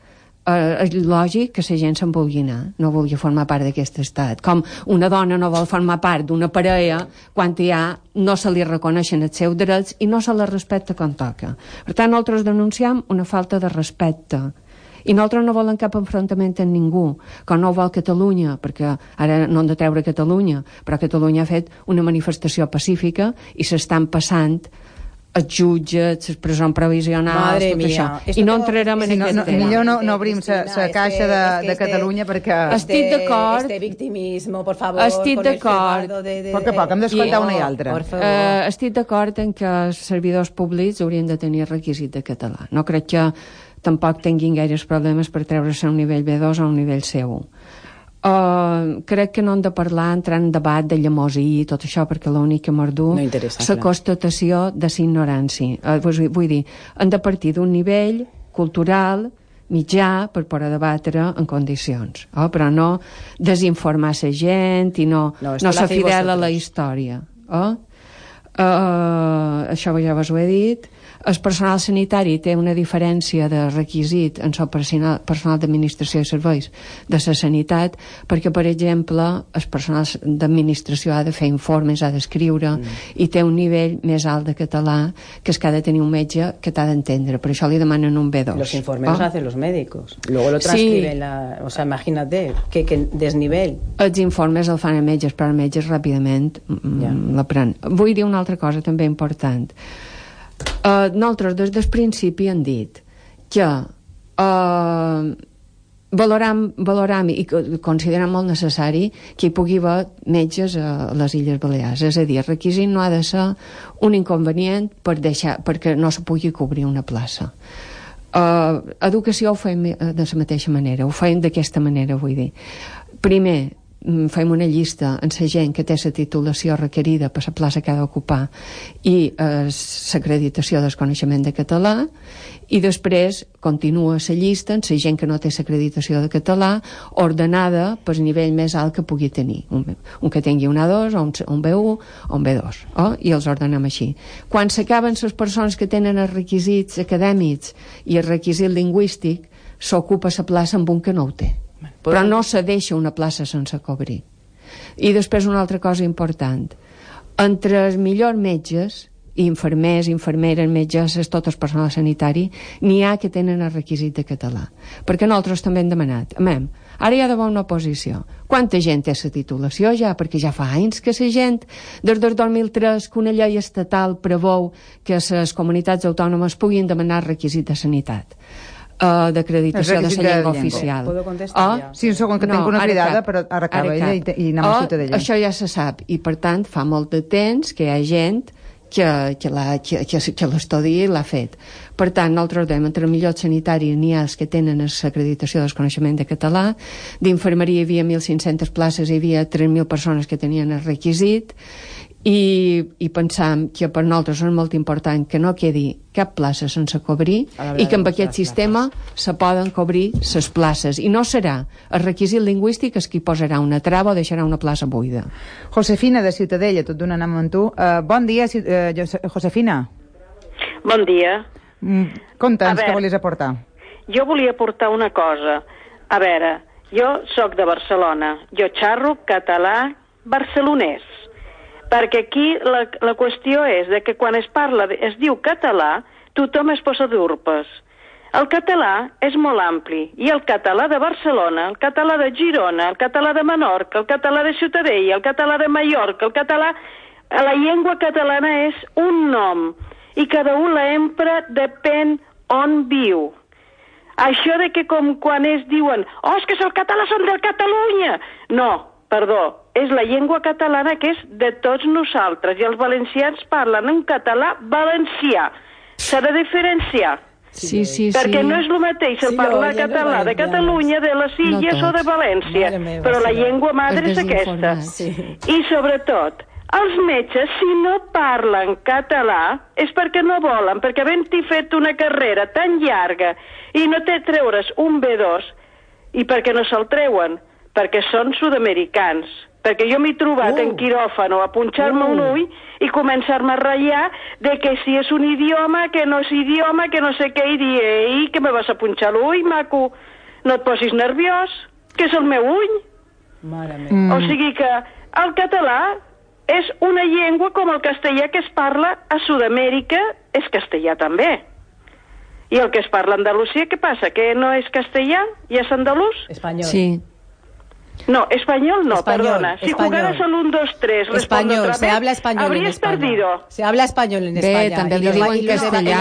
[SPEAKER 3] eh, és lògic que la gent se'n vulgui anar, no vulgui formar part d'aquest estat. Com una dona no vol formar part d'una parella quan ja no se li reconeixen els seus drets i no se la respecta com toca. Per tant, nosaltres denunciem una falta de respecte. I nosaltres no volem cap enfrontament amb ningú, com no ho vol Catalunya, perquè ara no hem de treure Catalunya, però Catalunya ha fet una manifestació pacífica i s'estan passant els jutges, les presons provisionals, tot
[SPEAKER 2] mia.
[SPEAKER 3] això. I no entrarem en aquest
[SPEAKER 1] no, tema. Millor no, no obrim la caixa de, de Catalunya perquè...
[SPEAKER 3] Estic d'acord.
[SPEAKER 2] Este victimismo, por favor.
[SPEAKER 3] Estic d'acord.
[SPEAKER 1] A poc a poc, hem d'escoltar una i altra.
[SPEAKER 3] Uh, estic d'acord en que els servidors públics haurien de tenir requisit de català. No crec que tampoc tinguin gaires problemes per treure-se a un nivell B dos o a un nivell C un. Uh, crec que no hem de parlar, entrar en debat de llamosí i tot això, perquè l'únic que mordú
[SPEAKER 2] no
[SPEAKER 3] la constatació de la ignorància. Uh, vull, vull dir, hem de partir d'un nivell cultural mitjà per poder debatre en condicions, oh? Però no desinformar la gent i no, no, no ser fidel a la història. Oh? Uh, això ja vos ho he dit. El personal sanitari té una diferència de requisit en el personal, personal d'administració i serveis de la sanitat, perquè, per exemple, el personal d'administració ha de fer informes, ha d'escriure, mm. i té un nivell més alt de català que es que ha de tenir un metge que t'ha d'entendre. Per això li demanen un B dos.
[SPEAKER 2] Los informes los oh? hacen los médicos. Luego lo transcriben. Sí. La, o sea, imagínate, que, que desnivell.
[SPEAKER 3] Els informes el fan els metges, però els metges ràpidament yeah. l'aprenen. Vull dir una altra cosa també important. Uh, nosaltres des del principi hem dit que uh, valoram, valoram i considerem molt necessari que hi pugui haver metges a les Illes Balears. És a dir, el requisit no ha de ser un inconvenient per deixar, perquè no se pugui cobrir una plaça. Uh, educació ho fem de la mateixa manera, ho fem d'aquesta manera, vull dir. Primer, fem una llista amb la gent que té la titulació requerida per la plaça que ha d'ocupar i eh, l'acreditació del coneixement de català, i després continua la llista amb la gent que no té l'acreditació de català ordenada pel nivell més alt que pugui tenir, un, un que tingui un A dos o un, un B u o un B dos, oh? I els ordenem així. Quan s'acaben les persones que tenen els requisits acadèmics i el requisit lingüístic, s'ocupa la plaça amb un que no ho té, però no se deixa una plaça sense cobrir. I després una altra cosa important, entre els millors metges, infermers, infermeres, metgesses, tot el personal sanitari, n'hi ha que tenen el requisit de català, perquè nosaltres també hem demanat, amem, ara hi ha d'haver una oposició. Quanta gent té la titulació ja? Perquè ja fa anys que la gent, des del dos mil tres, que una llei estatal preveu que les comunitats autònomes puguin demanar requisit de sanitat. Uh, d'acreditació de la llengua, llengua oficial.
[SPEAKER 2] Puedo contestar
[SPEAKER 3] oh?
[SPEAKER 2] ja?
[SPEAKER 1] Sí, un segon, que no, tinc una cridada, però ara acaba ella i, i anem oh, a Ciutadella.
[SPEAKER 3] Això ja se sap, i per tant fa molt de temps que hi ha gent que, que, la, que, que, que l'estudi l'ha fet. Per tant, nosaltres dèiem, entre el millor sanitari n'hi ha els que tenen l'acreditació del coneixement de català, d'infermeria hi havia mil cinc-centes places, hi havia tres mil persones que tenien el requisit, i, i pensam que per nosaltres és molt important que no quedi cap plaça sense cobrir i que amb aquest sistema se poden cobrir les places, i no serà el requisit lingüístic el que hi posarà una trava o deixarà una plaça buida.
[SPEAKER 1] Josefina de Ciutadella, tot d'una anem amb tu. Uh, bon dia, uh, Josefina.
[SPEAKER 6] Bon dia.
[SPEAKER 1] Mm, conta'ns què volies aportar.
[SPEAKER 6] Jo volia aportar una cosa. A veure, jo sóc de Barcelona, jo xarro català barcelonès, perquè aquí la, la qüestió és de que quan es parla, es diu català, tothom es posa d'urpes. El català és molt ampli, i el català de Barcelona, el català de Girona, el català de Menorca, el català de Ciutadella, el català de Mallorca, el català... La llengua catalana és un nom, i cada un la empra depèn on viu. Això de que com quan es diuen «Oh, és que el català són de Catalunya!» No, perdó, és la llengua catalana que és de tots nosaltres, i els valencians parlen en català valencià. S'ha de diferenciar.
[SPEAKER 3] Sí, sí,
[SPEAKER 6] perquè
[SPEAKER 3] sí.
[SPEAKER 6] no és el mateix el sí, parlar català de Catalunya, de les Illes no o de València, meva, però la llengua madre és aquesta. Sí. I sobretot, els metges, si no parlen català, és perquè no volen, perquè havent-hi fet una carrera tan llarga i no té treure's un B dos, i perquè no se'l treuen, perquè són sud-americans. Perquè jo m'he trobat uh. en quiròfano a punxar-me uh. un ull i començar-me a ratllar de que si és un idioma, que no és idioma, que no sé què, i dir, ei, que me vas a punxar l'ull, maco, no et posis nerviós, que és el meu ull.
[SPEAKER 2] Mare meva. Mm.
[SPEAKER 6] O sigui que el català és una llengua com el castellà que es parla a Sud-amèrica, és castellà també. I el que es parla a Andalusia, què passa? Que no és castellà i és andalús?
[SPEAKER 2] Espanyol.
[SPEAKER 3] Sí.
[SPEAKER 6] No, español no,
[SPEAKER 2] español,
[SPEAKER 6] perdona. Si
[SPEAKER 2] español.
[SPEAKER 6] jugaras al un, dos, tres,
[SPEAKER 2] español,
[SPEAKER 6] otra vez,
[SPEAKER 2] se habla español en
[SPEAKER 6] habrías
[SPEAKER 2] España.
[SPEAKER 6] perdido.
[SPEAKER 2] Se habla español en España.
[SPEAKER 3] Bé, també li diuen castellà.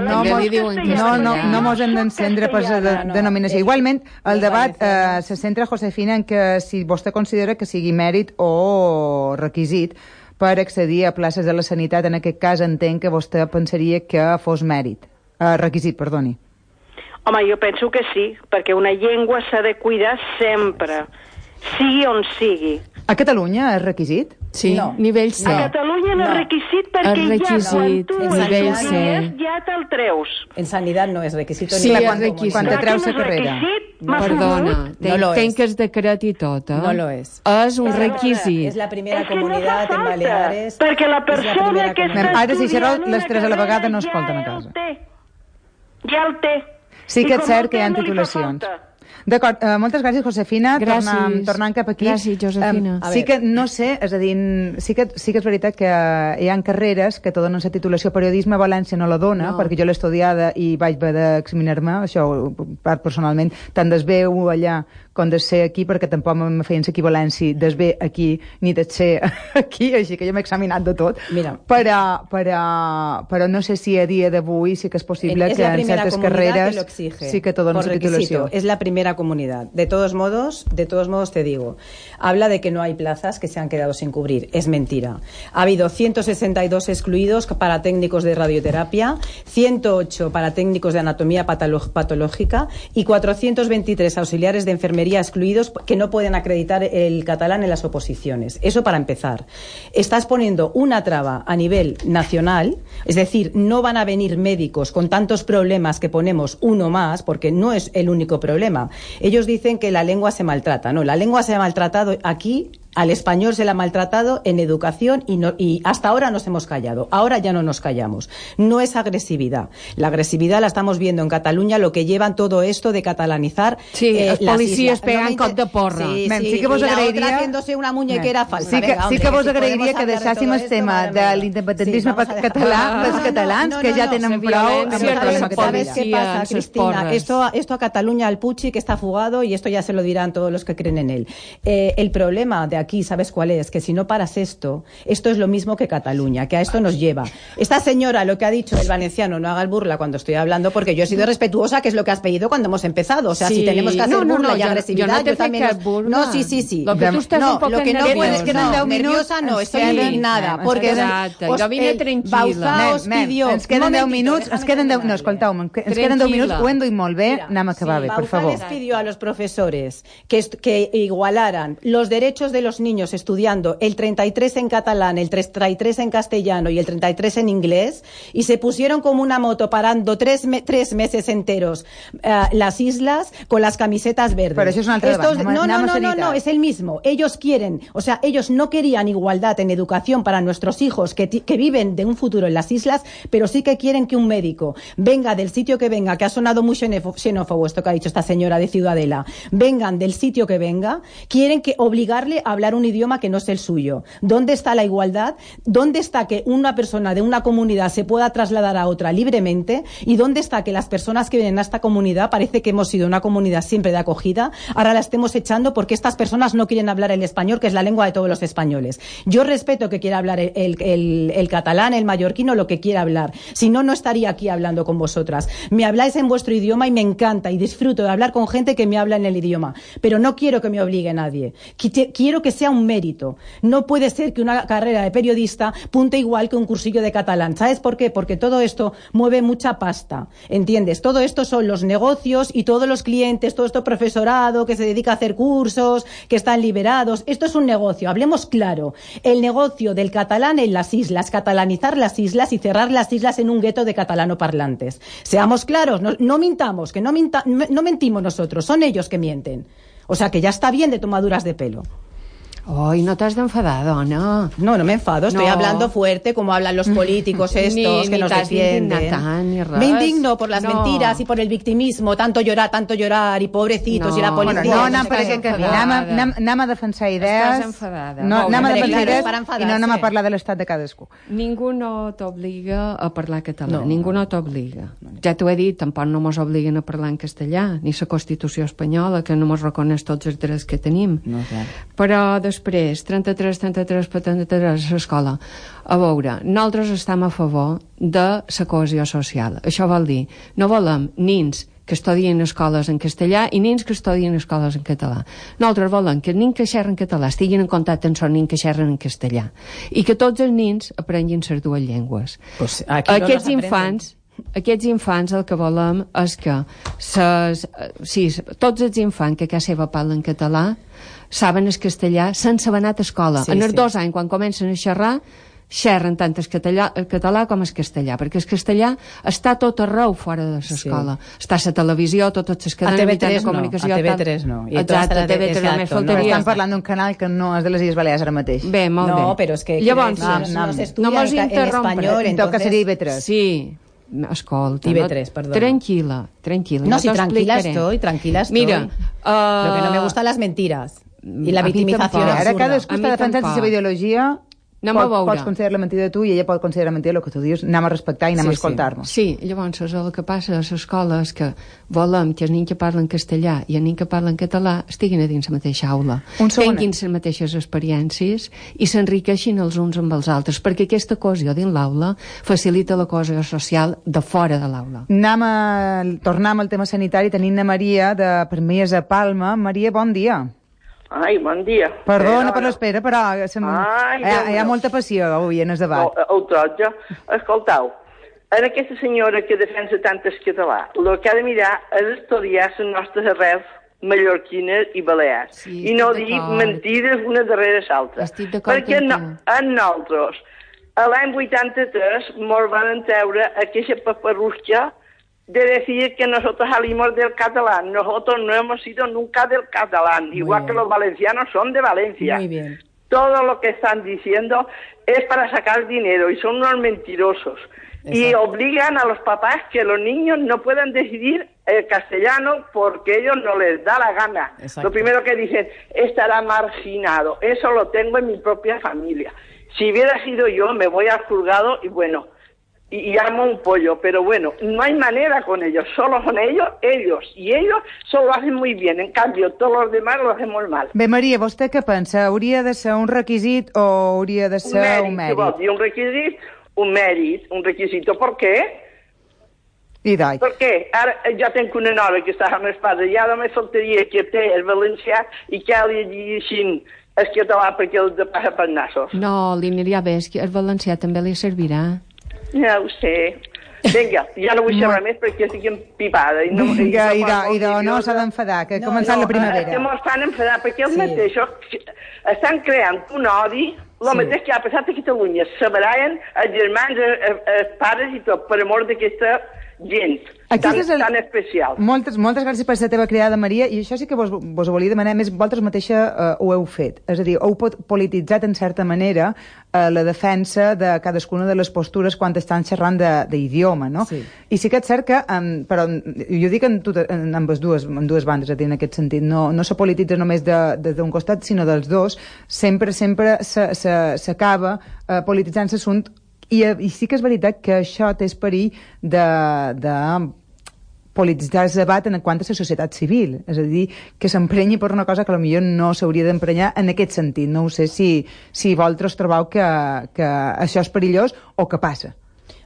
[SPEAKER 1] No, no, no, no mos hem d'encendre per la denominació. Igualment, el debat eh, se centra, Josefina, en que si vostè considera que sigui mèrit o requisit per accedir a places de la sanitat, en aquest cas entenc que vostè pensaria que fos mèrit. Eh, requisit, perdoni.
[SPEAKER 6] Home, jo penso que sí, perquè una llengua s'ha de cuidar sempre. sigui on sigui.
[SPEAKER 1] A Catalunya és requisit?
[SPEAKER 3] Sí,
[SPEAKER 2] No.
[SPEAKER 3] nivell C.
[SPEAKER 6] A Catalunya no,
[SPEAKER 2] No.
[SPEAKER 6] és requisit perquè
[SPEAKER 3] És requisit,
[SPEAKER 6] ja quan tu
[SPEAKER 2] en nivell
[SPEAKER 6] estudies
[SPEAKER 3] C.
[SPEAKER 6] ja te'l treus.
[SPEAKER 2] En sanidad no es requisito.
[SPEAKER 3] Sí,
[SPEAKER 2] ni
[SPEAKER 3] és
[SPEAKER 2] para
[SPEAKER 3] requisito.
[SPEAKER 1] Quan te
[SPEAKER 6] Clar que
[SPEAKER 1] treus
[SPEAKER 6] no
[SPEAKER 1] la
[SPEAKER 6] és
[SPEAKER 1] carrera.
[SPEAKER 6] requisit,
[SPEAKER 2] No.
[SPEAKER 6] m'ha
[SPEAKER 3] Perdona,
[SPEAKER 6] sabut.
[SPEAKER 3] ten,
[SPEAKER 2] No lo
[SPEAKER 3] ten
[SPEAKER 2] és.
[SPEAKER 3] que es decret i tot, eh?
[SPEAKER 2] No lo és.
[SPEAKER 3] És un
[SPEAKER 2] Es
[SPEAKER 3] requisit.
[SPEAKER 2] la primera
[SPEAKER 6] És que no
[SPEAKER 2] comunidad
[SPEAKER 6] fa
[SPEAKER 2] en
[SPEAKER 6] falta,
[SPEAKER 2] Baleares.
[SPEAKER 6] perquè la
[SPEAKER 2] és
[SPEAKER 6] persona
[SPEAKER 2] primera
[SPEAKER 6] que
[SPEAKER 2] comunidad.
[SPEAKER 6] està
[SPEAKER 1] Ara, si
[SPEAKER 6] estudiant
[SPEAKER 1] xerro les
[SPEAKER 6] una
[SPEAKER 1] tres a la
[SPEAKER 6] carrera
[SPEAKER 1] vegada, no
[SPEAKER 6] ja
[SPEAKER 1] escolten a
[SPEAKER 6] el
[SPEAKER 1] casa.
[SPEAKER 6] té. Ja el té.
[SPEAKER 1] Sí
[SPEAKER 6] I
[SPEAKER 1] que és
[SPEAKER 6] com
[SPEAKER 1] cert
[SPEAKER 6] el
[SPEAKER 1] que hi
[SPEAKER 6] té,
[SPEAKER 1] ha
[SPEAKER 6] no li fa
[SPEAKER 1] titulacions.
[SPEAKER 6] falta.
[SPEAKER 1] D'acord, uh, moltes gràcies, Josefina.
[SPEAKER 3] Gràcies.
[SPEAKER 1] Tornant, tornant cap aquí.
[SPEAKER 3] Gràcies, Josefina.
[SPEAKER 1] Um,
[SPEAKER 2] A
[SPEAKER 1] sí
[SPEAKER 2] veure.
[SPEAKER 1] que no sé, és a dir, sí que, sí que és veritat que hi ha carreres que te donen la titulació. Periodisme a València no la dona,
[SPEAKER 3] No.
[SPEAKER 1] perquè jo l'he estudiada i vaig haver d'examinar-me, això ho- part personalment, tant desveu allà com de ser aquí, perquè tampoc me feien ser equivalència desvé aquí ni de ser aquí, així que jo m'he examinat de tot.
[SPEAKER 2] Mira.
[SPEAKER 1] Però, però, però no sé si a dia d'avui sí que és possible
[SPEAKER 2] es
[SPEAKER 1] que
[SPEAKER 2] la
[SPEAKER 1] en
[SPEAKER 2] primera
[SPEAKER 1] ciertes
[SPEAKER 2] comunidad
[SPEAKER 1] carreras
[SPEAKER 2] que lo exige,
[SPEAKER 1] sí que te donen
[SPEAKER 2] por
[SPEAKER 1] su
[SPEAKER 2] requisito.
[SPEAKER 1] titulación.
[SPEAKER 2] Es la primera comunidad. De todos modos, de todos modos te digo, habla de que no hay plazas que se han quedado sin cubrir. Es mentira. Ha habido ciento sesenta y dos excluidos para técnicos de radioterapia, ciento ocho para técnicos de anatomía patolo- patológica y cuatrocientos veintitrés auxiliares de enfermería excluidos que no pueden acreditar el catalán en las oposiciones. Eso para empezar. Estás poniendo una traba a nivel nacional, es decir, no van a venir médicos con tantos problemas que ponemos uno más, porque no es el único problema. Ellos dicen que la lengua se maltrata. No, la lengua se ha maltratado aquí. Al español se le ha maltratado en educación y, no, y hasta ahora nos hemos callado. Ahora ya no nos callamos. No es agresividad. La agresividad la estamos viendo en Cataluña, lo que llevan todo esto de catalanizar.
[SPEAKER 3] Sí, els
[SPEAKER 2] las
[SPEAKER 3] policies
[SPEAKER 2] islas.
[SPEAKER 3] pegant
[SPEAKER 2] me
[SPEAKER 3] cop
[SPEAKER 2] inter-
[SPEAKER 3] de porra.
[SPEAKER 2] Sí,
[SPEAKER 1] Mem,
[SPEAKER 2] sí,
[SPEAKER 1] sí que vos
[SPEAKER 2] y la
[SPEAKER 1] agrairia-
[SPEAKER 2] otra haciéndose una muñequera
[SPEAKER 1] Mem.
[SPEAKER 2] falsa.
[SPEAKER 1] Sí que,
[SPEAKER 2] Venga,
[SPEAKER 1] sí
[SPEAKER 2] hombre,
[SPEAKER 1] que vos
[SPEAKER 2] si
[SPEAKER 1] agrairia
[SPEAKER 2] podemos
[SPEAKER 1] que
[SPEAKER 2] hablar de
[SPEAKER 1] deixàssim
[SPEAKER 2] todo
[SPEAKER 1] el
[SPEAKER 2] esto,
[SPEAKER 1] tema
[SPEAKER 2] madre
[SPEAKER 1] de
[SPEAKER 2] mía.
[SPEAKER 1] l'independentisme
[SPEAKER 2] Sí, vamos a dejar-
[SPEAKER 1] català
[SPEAKER 2] No,
[SPEAKER 1] dels
[SPEAKER 2] no, no,
[SPEAKER 1] catalans,
[SPEAKER 2] no,
[SPEAKER 1] que
[SPEAKER 2] no,
[SPEAKER 1] ja
[SPEAKER 2] no,
[SPEAKER 1] tenen
[SPEAKER 3] la
[SPEAKER 1] prou
[SPEAKER 3] violència
[SPEAKER 1] amb el
[SPEAKER 3] de
[SPEAKER 1] problema
[SPEAKER 3] la
[SPEAKER 1] que
[SPEAKER 2] ¿Sabes
[SPEAKER 1] tenen.
[SPEAKER 2] qué
[SPEAKER 3] policía,
[SPEAKER 2] pasa,
[SPEAKER 3] en sus
[SPEAKER 2] Cristina?
[SPEAKER 3] porras.
[SPEAKER 2] Esto, esto a Cataluña, al Pucci, que está fugado, y esto ya se lo dirán todos los que creen en él. Eh, el problema de aquí, ¿sabes cuál es? Que si no paras esto, esto es lo mismo que Cataluña, que a esto nos lleva. Esta señora, lo que ha dicho el valenciano, no haga el burla cuando estoy hablando, porque yo he sido respetuosa, que es lo que has pedido cuando hemos empezado. O sea,
[SPEAKER 3] Sí.
[SPEAKER 2] si tenemos que hacer
[SPEAKER 3] No, no,
[SPEAKER 2] burla
[SPEAKER 3] no,
[SPEAKER 2] y
[SPEAKER 3] yo-
[SPEAKER 2] agresividad,
[SPEAKER 3] yo no te
[SPEAKER 2] yo también...
[SPEAKER 3] fui
[SPEAKER 2] os-
[SPEAKER 3] que burla.
[SPEAKER 2] No, sí, sí, sí.
[SPEAKER 3] Lo que tú estás
[SPEAKER 2] no,
[SPEAKER 3] un poco
[SPEAKER 2] lo que no
[SPEAKER 3] nerviosa.
[SPEAKER 2] puedes, que no,
[SPEAKER 1] Queden deu
[SPEAKER 2] nerviosa
[SPEAKER 1] minuts,
[SPEAKER 2] no,
[SPEAKER 1] ens
[SPEAKER 2] estoy
[SPEAKER 1] queden-
[SPEAKER 2] indignada,
[SPEAKER 1] Mem,
[SPEAKER 2] porque
[SPEAKER 3] Exacte,
[SPEAKER 2] os-
[SPEAKER 3] jo vine
[SPEAKER 2] el
[SPEAKER 3] tranquil·la.
[SPEAKER 2] Bauza os
[SPEAKER 1] Mem, mem,
[SPEAKER 2] pidió...
[SPEAKER 1] ens queden
[SPEAKER 2] Un
[SPEAKER 1] deu
[SPEAKER 2] momentito,
[SPEAKER 1] minuts, ens
[SPEAKER 2] déjame
[SPEAKER 1] queden deu... No,
[SPEAKER 2] terminarlo.
[SPEAKER 1] escolteu-me, ens queden deu
[SPEAKER 3] Tranquil·la.
[SPEAKER 1] minuts, ho hem dit molt bé,
[SPEAKER 2] Mira,
[SPEAKER 1] anem a acabar bé, per
[SPEAKER 2] Bauzá
[SPEAKER 1] favor.
[SPEAKER 2] les pidió a los profesores que, est- que igualaran los derechos de los niños estudiando el treinta y tres en catalán, el treinta y tres en castellano y el treinta y tres en inglés, y se pusieron como una moto parando tres, me- tres meses enteros eh, las islas con las camisetas verdes.
[SPEAKER 1] Pero eso es un altre
[SPEAKER 2] Estos-
[SPEAKER 1] debat,
[SPEAKER 2] no,
[SPEAKER 1] anem a
[SPEAKER 2] no, no, no,
[SPEAKER 1] seritat.
[SPEAKER 2] no, es el mismo. Ellos quieren, o sea, ellos no querían igualdad en educación para nuestros hijos que, ti- que viven de un futuro en las islas, pero sí que quieren que un médico venga del sitio que venga, que ha sonado muy xenefo- xenófobo esto que ha dicho esta señora de Ciudadela, vengan del sitio que venga, quieren que obligarle a hablar un idioma que no es el suyo. ¿Dónde está la igualdad? ¿Dónde está que una persona de una comunidad se pueda trasladar a otra libremente? ¿Y dónde está que las personas que vienen a esta comunidad, parece que hemos sido una comunidad siempre de acogida, ahora la estemos echando porque estas personas no quieren hablar el español, que es la lengua de todos los españoles? Yo respeto que quiera hablar el, el, el, el catalán, el mallorquino, lo que quiera hablar. Si no, no estaría aquí hablando con vosotras. Me habláis en vuestro idioma y me encanta y disfruto de hablar con gente que me habla en el idioma, pero no quiero que me obligue nadie. Qui- Quiero que sea un mérito. No puede ser que una carrera de periodista punte igual que un cursillo de catalán. ¿Sabes por qué? Porque todo esto mueve mucha pasta, ¿entiendes? Todo esto son los negocios y todos los clientes, todo esto profesorado que se dedica a hacer cursos, que están liberados. Esto es un negocio, hablemos claro. El negocio del catalán en las islas, catalanizar las islas y cerrar las islas en un gueto de catalanoparlantes. Seamos claros, no, no mintamos, que no, minta, no mentimos nosotros, son ellos que mienten. O sea que ya está bien de tomaduras de pelo.
[SPEAKER 3] Ai, no t'has d'enfadar, dona.
[SPEAKER 2] No, no me enfado, estoy
[SPEAKER 3] No.
[SPEAKER 2] hablando fuerte como hablan los políticos estos
[SPEAKER 3] Ni-
[SPEAKER 2] que
[SPEAKER 3] ni
[SPEAKER 2] nos
[SPEAKER 3] t'has
[SPEAKER 2] defienden.
[SPEAKER 3] d'indignar tant, ni res.
[SPEAKER 2] Me indigno por las
[SPEAKER 3] No.
[SPEAKER 2] mentiras y por el victimismo, tanto llorar, tanto llorar y pobrecitos
[SPEAKER 3] No.
[SPEAKER 2] y la
[SPEAKER 1] Bueno,
[SPEAKER 2] policía.
[SPEAKER 1] no
[SPEAKER 2] no
[SPEAKER 1] anem
[SPEAKER 2] sé
[SPEAKER 1] per
[SPEAKER 2] què.
[SPEAKER 1] aquest camí,
[SPEAKER 3] enfadada.
[SPEAKER 1] anem, a- anem, anem a defensar idees,
[SPEAKER 3] Estàs enfadada.
[SPEAKER 1] no,
[SPEAKER 3] Molt
[SPEAKER 1] anem a
[SPEAKER 3] bé.
[SPEAKER 1] defensar
[SPEAKER 2] Claro,
[SPEAKER 1] idees
[SPEAKER 2] para
[SPEAKER 1] i
[SPEAKER 2] enfadarse.
[SPEAKER 1] no anem a parlar de l'estat de cadascú.
[SPEAKER 3] Ningú no t'obliga a parlar català,
[SPEAKER 2] No.
[SPEAKER 3] ningú no t'obliga. Ja t'ho he dit, tampoc no mos obliguen a parlar en castellà, ni la Constitució espanyola, que no mos reconeix tots els drets que tenim.
[SPEAKER 2] No, clar.
[SPEAKER 3] Però després, trenta-tres, trenta-tres, trenta-tres a l'escola. A veure, nosaltres estem a favor de la cohesió social. Això vol dir, no volem nins que estudien escoles en castellà i nins que estudien escoles en català. Nosaltres volem que els nins que xerren català estiguin en contacte amb els nins que xerren en castellà i que tots els nins aprenguin les dues llengües.
[SPEAKER 2] Pues aquí no
[SPEAKER 3] Aquests
[SPEAKER 2] les aprenden.
[SPEAKER 3] infants aquests infants el que volem és que ses, sí, tots els infants que a casa seva parlen català saben el castellà sense haver anat a escola.
[SPEAKER 2] Sí,
[SPEAKER 3] en els
[SPEAKER 2] sí.
[SPEAKER 3] dos anys, quan comencen a xerrar, xerren tant el català, el català com el castellà, perquè el castellà està tot arreu fora de l'escola. Sí. Està a la televisió, totes les cadenes mitjans de comunicació.
[SPEAKER 2] A T V tres no.
[SPEAKER 3] I exacte, a T V tres només faltaria.
[SPEAKER 1] Estan parlant d'un canal que no és de les Illes Balears ara mateix.
[SPEAKER 3] Bé, molt
[SPEAKER 2] no,
[SPEAKER 3] bé.
[SPEAKER 2] però és que...
[SPEAKER 3] Llavors,
[SPEAKER 2] no,
[SPEAKER 3] no,
[SPEAKER 2] no,
[SPEAKER 3] no,
[SPEAKER 2] s'estudia
[SPEAKER 3] no mos
[SPEAKER 2] en, en espanyol,
[SPEAKER 1] en tot cas seria I B tres.
[SPEAKER 3] Sí. Escolta,
[SPEAKER 2] I B tres, perdó.
[SPEAKER 3] Tranquila, tranquila.
[SPEAKER 2] No, si tranquila estoy, tranquila estoy.
[SPEAKER 3] Mira, uh,
[SPEAKER 2] lo que no me gustan las mentiras y la victimización absurda.
[SPEAKER 1] Ara cadascú està defensant la seva ideologia.
[SPEAKER 3] Anem
[SPEAKER 1] pot,
[SPEAKER 3] a veure.
[SPEAKER 1] Pots considerar la mentida de tu i ella pot considerar mentida el que tu dius. Anem a respectar i anem
[SPEAKER 2] sí,
[SPEAKER 1] a escoltar-nos.
[SPEAKER 3] Sí. sí, llavors el que passa a l'escola és que volem que els nens que parlen castellà i els nens que parlen català estiguin a dins la mateixa aula, tinguin les mateixes experiències i s'enriqueixin els uns amb els altres, perquè aquesta cohesió dins l'aula facilita la cohesió social de fora de l'aula.
[SPEAKER 1] Anem a tornar al tema sanitari. Tenim la Maria de Permies a Palma. Maria, bon dia.
[SPEAKER 7] Ai, bon dia.
[SPEAKER 1] Perdona per l'espera, però sem...
[SPEAKER 7] Ai,
[SPEAKER 1] hi, ha, hi ha molta passió avui en el debat.
[SPEAKER 7] No, el troja. Escoltau, en aquesta senyora que defensa tant el català, el que ha de mirar és estudiar les nostres arrels mallorquines i balears.
[SPEAKER 3] Sí,
[SPEAKER 7] I no dir mentides una darrere l'altra. Perquè no, en nosaltres, a l'any vuitanta-tres, mos van treure aquesta paparrusca de decir que nosotros salimos del catalán. Nosotros no hemos sido nunca del catalán,
[SPEAKER 2] Muy
[SPEAKER 7] igual
[SPEAKER 2] bien.
[SPEAKER 7] que los valencianos son de Valencia.
[SPEAKER 2] Muy bien.
[SPEAKER 7] Todo lo que están diciendo es para sacar dinero y son unos mentirosos.
[SPEAKER 2] Exacto.
[SPEAKER 7] Y obligan a los papás que los niños no puedan decidir el castellano porque ellos no les da la gana.
[SPEAKER 2] Exacto.
[SPEAKER 7] Lo primero que dicen, estará marginado. Eso lo tengo en mi propia familia. Si hubiera sido yo, me voy al juzgado y bueno... y armo un pollo, pero bueno, no hay manera con ellos, solo son ellos, ellos, y ellos solo lo hacen muy bien, en cambio todos los demás lo hacemos mal.
[SPEAKER 1] Bé, Maria, vostè què pensa? Hauria de ser un requisit o hauria de ser un mèrit?
[SPEAKER 7] Un mèrit, un requisit, un mèrit, un requisito, ¿por qué?
[SPEAKER 1] I dai.
[SPEAKER 7] Per què? Ara jo tinc una nova que està amb els pares, ja només faltaria que té el valencià i que li llegeixin el català perquè el de passa per nassos.
[SPEAKER 3] No, li aniria bé, és que el valencià també li servirà.
[SPEAKER 7] Ja ho sé. Vinga, ja no vull xerrar més perquè estic empipada. I no,
[SPEAKER 1] Vinga, i no, i no, no s'ha d'enfadar, que ha
[SPEAKER 2] No,
[SPEAKER 1] començat
[SPEAKER 2] no,
[SPEAKER 1] la primavera.
[SPEAKER 7] És que m'ho estan enfadant, perquè els
[SPEAKER 2] Sí.
[SPEAKER 7] mateixos estan creant un odi, el
[SPEAKER 2] Sí.
[SPEAKER 7] mateix que ha passat a Catalunya. Separaven els germans, els, els pares i tot, per amor d'aquesta gent tan,
[SPEAKER 1] Aquest és el-
[SPEAKER 7] tan especial.
[SPEAKER 1] Moltes, moltes gràcies per la teva cridada, Maria, i això sí que vos, vos ho volia demanar, a més, vosaltres mateixa eh, ho heu fet. És a dir, heu pot- polititzat, en certa manera, eh, la defensa de cadascuna de les postures quan estan xerrant de- d'idioma, no?
[SPEAKER 2] Sí.
[SPEAKER 1] I sí que és cert que, um, però jo dic en, tot, en ambes dues, en dues bandes, a dir, en aquest sentit, no, no se polititza només de- de- d'un costat, sinó dels dos, sempre, sempre se- se- s'acaba eh, polititzant l'assumpte. I, I sí que és veritat que això té perill de, de polititzar el debat en quant a la societat civil, és a dir, que s'emprenyi per una cosa que potser no s'hauria d'emprenyar en aquest sentit. No ho sé si, si vosaltres trobeu que, que això és perillós o que passa.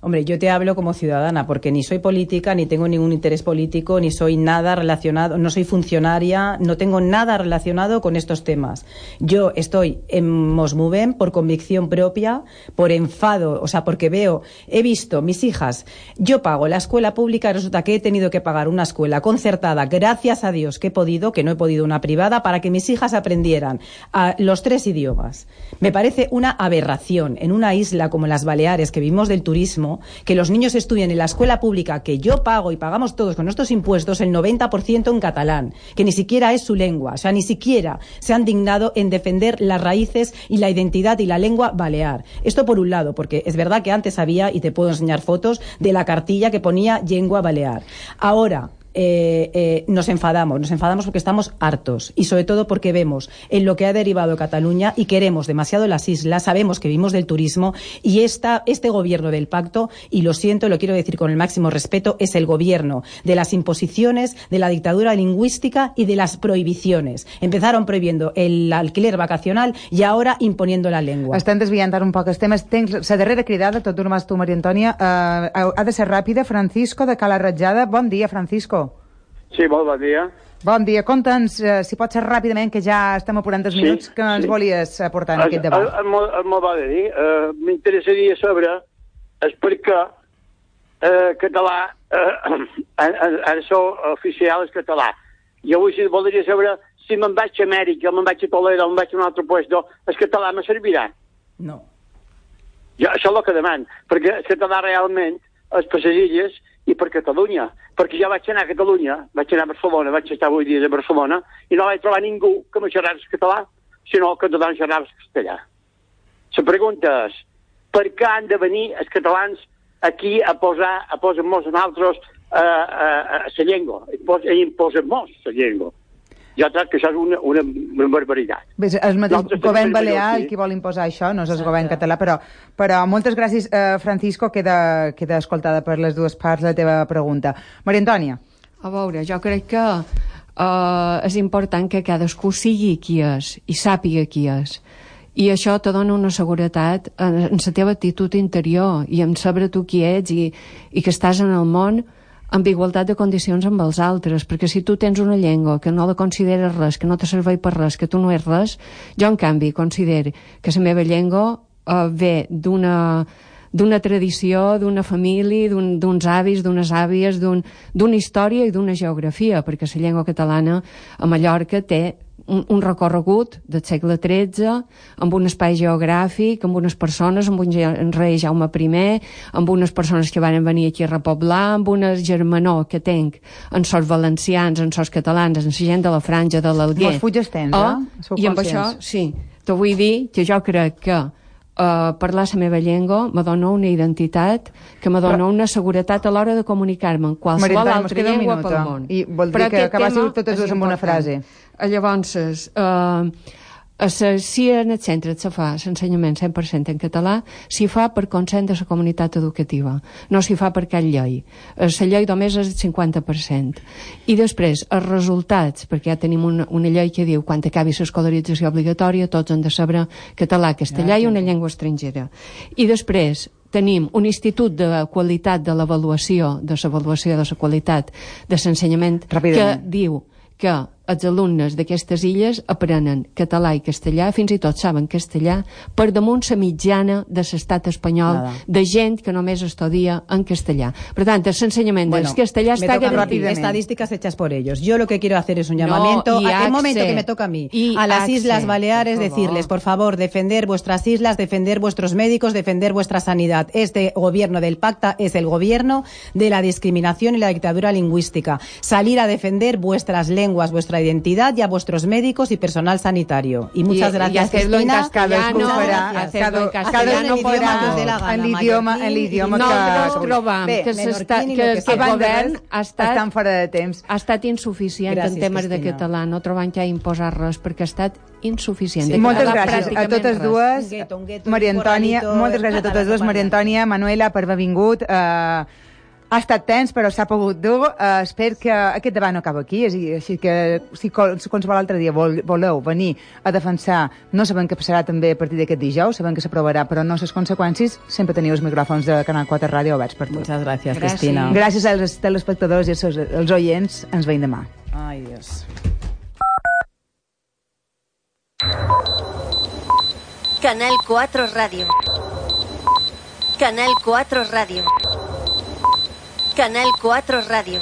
[SPEAKER 2] Hombre, yo te hablo como ciudadana, porque ni soy política, ni tengo ningún interés político, ni soy nada relacionado, no soy funcionaria, no tengo nada relacionado con estos temas. Yo estoy en Mosmovem por convicción propia, por enfado, o sea, porque veo, he visto mis hijas, yo pago la escuela pública, resulta que he tenido que pagar una escuela concertada, gracias a Dios que he podido, que no he podido una privada, para que mis hijas aprendieran a los tres idiomas. Me parece una aberración en una isla como las Baleares, que vivimos del turismo, que los niños estudien en la escuela pública que yo pago y pagamos todos con nuestros impuestos el noventa por ciento en catalán, que ni siquiera es su lengua, o sea, ni siquiera se han dignado en defender las raíces y la identidad y la lengua balear. Esto por un lado, porque es verdad que antes había, y te puedo enseñar fotos, de la cartilla que ponía lengua balear. Ahora, Eh, eh, nos enfadamos, nos enfadamos porque estamos hartos y sobre todo porque vemos en lo que ha derivado Cataluña y queremos demasiado las islas, sabemos que vivimos del turismo y esta, este gobierno del pacto, y lo siento, lo quiero decir con el máximo respeto, es el gobierno de las imposiciones, de la dictadura lingüística y de las prohibiciones. Empezaron prohibiendo el alquiler vacacional y ahora imponiendo la lengua.
[SPEAKER 1] Estem desviant ara un poc els temes. Tens la darrera cridada, tot només tu, Maria Antònia. Uh, ha de ser ràpida. Francisco, de Cala Ratjada. Bon dia, Francisco.
[SPEAKER 8] Sí, molt bon dia.
[SPEAKER 1] Bon dia. Conta'ns, uh, si pot ser ràpidament, que ja estem apurant els
[SPEAKER 8] Sí,
[SPEAKER 1] minuts que ens
[SPEAKER 8] sí.
[SPEAKER 1] volies aportar en
[SPEAKER 8] El,
[SPEAKER 1] aquest
[SPEAKER 8] el,
[SPEAKER 1] debat.
[SPEAKER 8] el, el, el molt va de dir. Uh, M'interessaria saber és per què uh, català, uh, el so oficial és català. Jo vull, voldria saber si me'n vaig a Amèrica, me'n vaig a Toledo, me'n vaig a un altre lloc, el català me servirà?
[SPEAKER 2] No.
[SPEAKER 8] Jo, això és el que demano, perquè el català realment és per les illes i per Catalunya. Perquè jo vaig anar a Catalunya, vaig anar a Barcelona, vaig estar vuit dies a Barcelona, i no vaig trobar ningú que me xerrés català, sinó que tothom xerrava castellà. La pregunta és, per què han de venir els catalans aquí a posar, a posar-nos a nosaltres a la llengua, a imposar-nos la llengua? Jo crec que això és una, una, una barbaritat.
[SPEAKER 1] Bé, el mateix govern balear el que vol imposar això, no és el govern català, però, però moltes gràcies, eh, Francisco, queda, queda escoltada per les dues parts la teva pregunta. Maria Antònia.
[SPEAKER 3] A veure, jo crec que eh, és important que cadascú sigui qui és i sàpiga qui és. I això te dona una seguretat en, en la teva actitud interior i en saber tu qui ets i, i que estàs en el món amb igualtat de condicions amb els altres, perquè si tu tens una llengua que no la consideres res, que no te serveix per res, que tu no ets res, jo en canvi considero que la meva llengua eh, ve d'una d'una tradició, d'una família, d'uns un, avis, d'unes àvies, d'una un, història i d'una geografia, perquè la llengua catalana a Mallorca té un, un recorregut del segle tretze, amb un espai geogràfic, amb unes persones, amb un rei Jaume primer, amb unes persones que van venir aquí a repoblar, amb una germanor que tenc en sos valencians, en sos catalans, en la gent de la Franja, de l'Alguer.
[SPEAKER 1] Mos fuig tens,
[SPEAKER 3] oh,
[SPEAKER 1] eh? Sou
[SPEAKER 3] I amb això, sí, te vull dir que jo crec que Uh, parlar la meva llengua me dona una identitat que me dona una seguretat a l'hora de comunicar-me en qualsevol altra llengua pel món.
[SPEAKER 1] I vol dir que acabàssiu totes dues amb una frase.
[SPEAKER 3] Llavors, uh, a sa, si en el centre se fa l'ensenyament cent per cent en català, s'hi fa per consent de la comunitat educativa, no s'hi fa per cap llei. La llei només és el cinquanta per cent. I després, els resultats, perquè ja tenim una, una llei que diu quan acabi l'escolarització obligatòria tots han de saber català, castellà i una llengua estrangera. I després, tenim un institut de qualitat de l'avaluació, de l'avaluació de la qualitat de l'ensenyament, que diu que els alumnes d'aquestes illes aprenen català i castellà, fins i tot saben castellà, per damunt la mitjana de l'estat espanyol, Nada. de gent que només estudia en castellà. Per tant, el ensenyament bueno, del castellà está garantido.
[SPEAKER 2] Estadísticas hechas por ellos. Yo lo que quiero hacer es un llamamiento, no, a el momento que me toca a mí, a las Axe, Islas Baleares, por decirles, por favor, defender vuestras islas, defender vuestros médicos, defender vuestra sanidad. Este gobierno del Pacta es el gobierno de la discriminación y la dictadura lingüística. Salir a defender vuestras lenguas, vuestra identidad y a vuestros médicos y personal sanitario. Y muchas y, gracias,
[SPEAKER 3] y hacerlo
[SPEAKER 2] Cristina.
[SPEAKER 3] en castellano,
[SPEAKER 2] farà,
[SPEAKER 3] hacerlo en
[SPEAKER 2] castellano
[SPEAKER 1] en l'idioma en l'idioma
[SPEAKER 3] no, que... trobam
[SPEAKER 1] Bé,
[SPEAKER 3] que, que, que, que el govern ha estat,
[SPEAKER 1] estan fora de temps.
[SPEAKER 3] Ha estat insuficient gràcies, en temes Cristina. de català, no trobant que ha imposat res, perquè ha estat insuficient.
[SPEAKER 1] Sí, moltes gràcies a totes dues. Un gueto, un gueto, Maria Antònia, moltes gràcies a totes dues. Maria Antònia, Manuela, per haver vingut. Uh, Ha estat tens, però s'ha pogut dur. Uh, espero que aquest debat no acaba aquí. Així que si qualsevol altre dia vol, voleu venir a defensar, no sabem què passarà també a partir d'aquest dijous, sabem que s'aprovarà, però no les conseqüències, sempre teniu els micròfons de Canal quatre Ràdio oberts per tot.
[SPEAKER 2] Muchas gracias, Cristina.
[SPEAKER 1] Gràcies als telespectadors i als, als oients. Ens veiem demà.
[SPEAKER 2] Ai, Dios.
[SPEAKER 9] Canal cuatro Radio. Canal cuatro Radio. Canal cuatro Radio.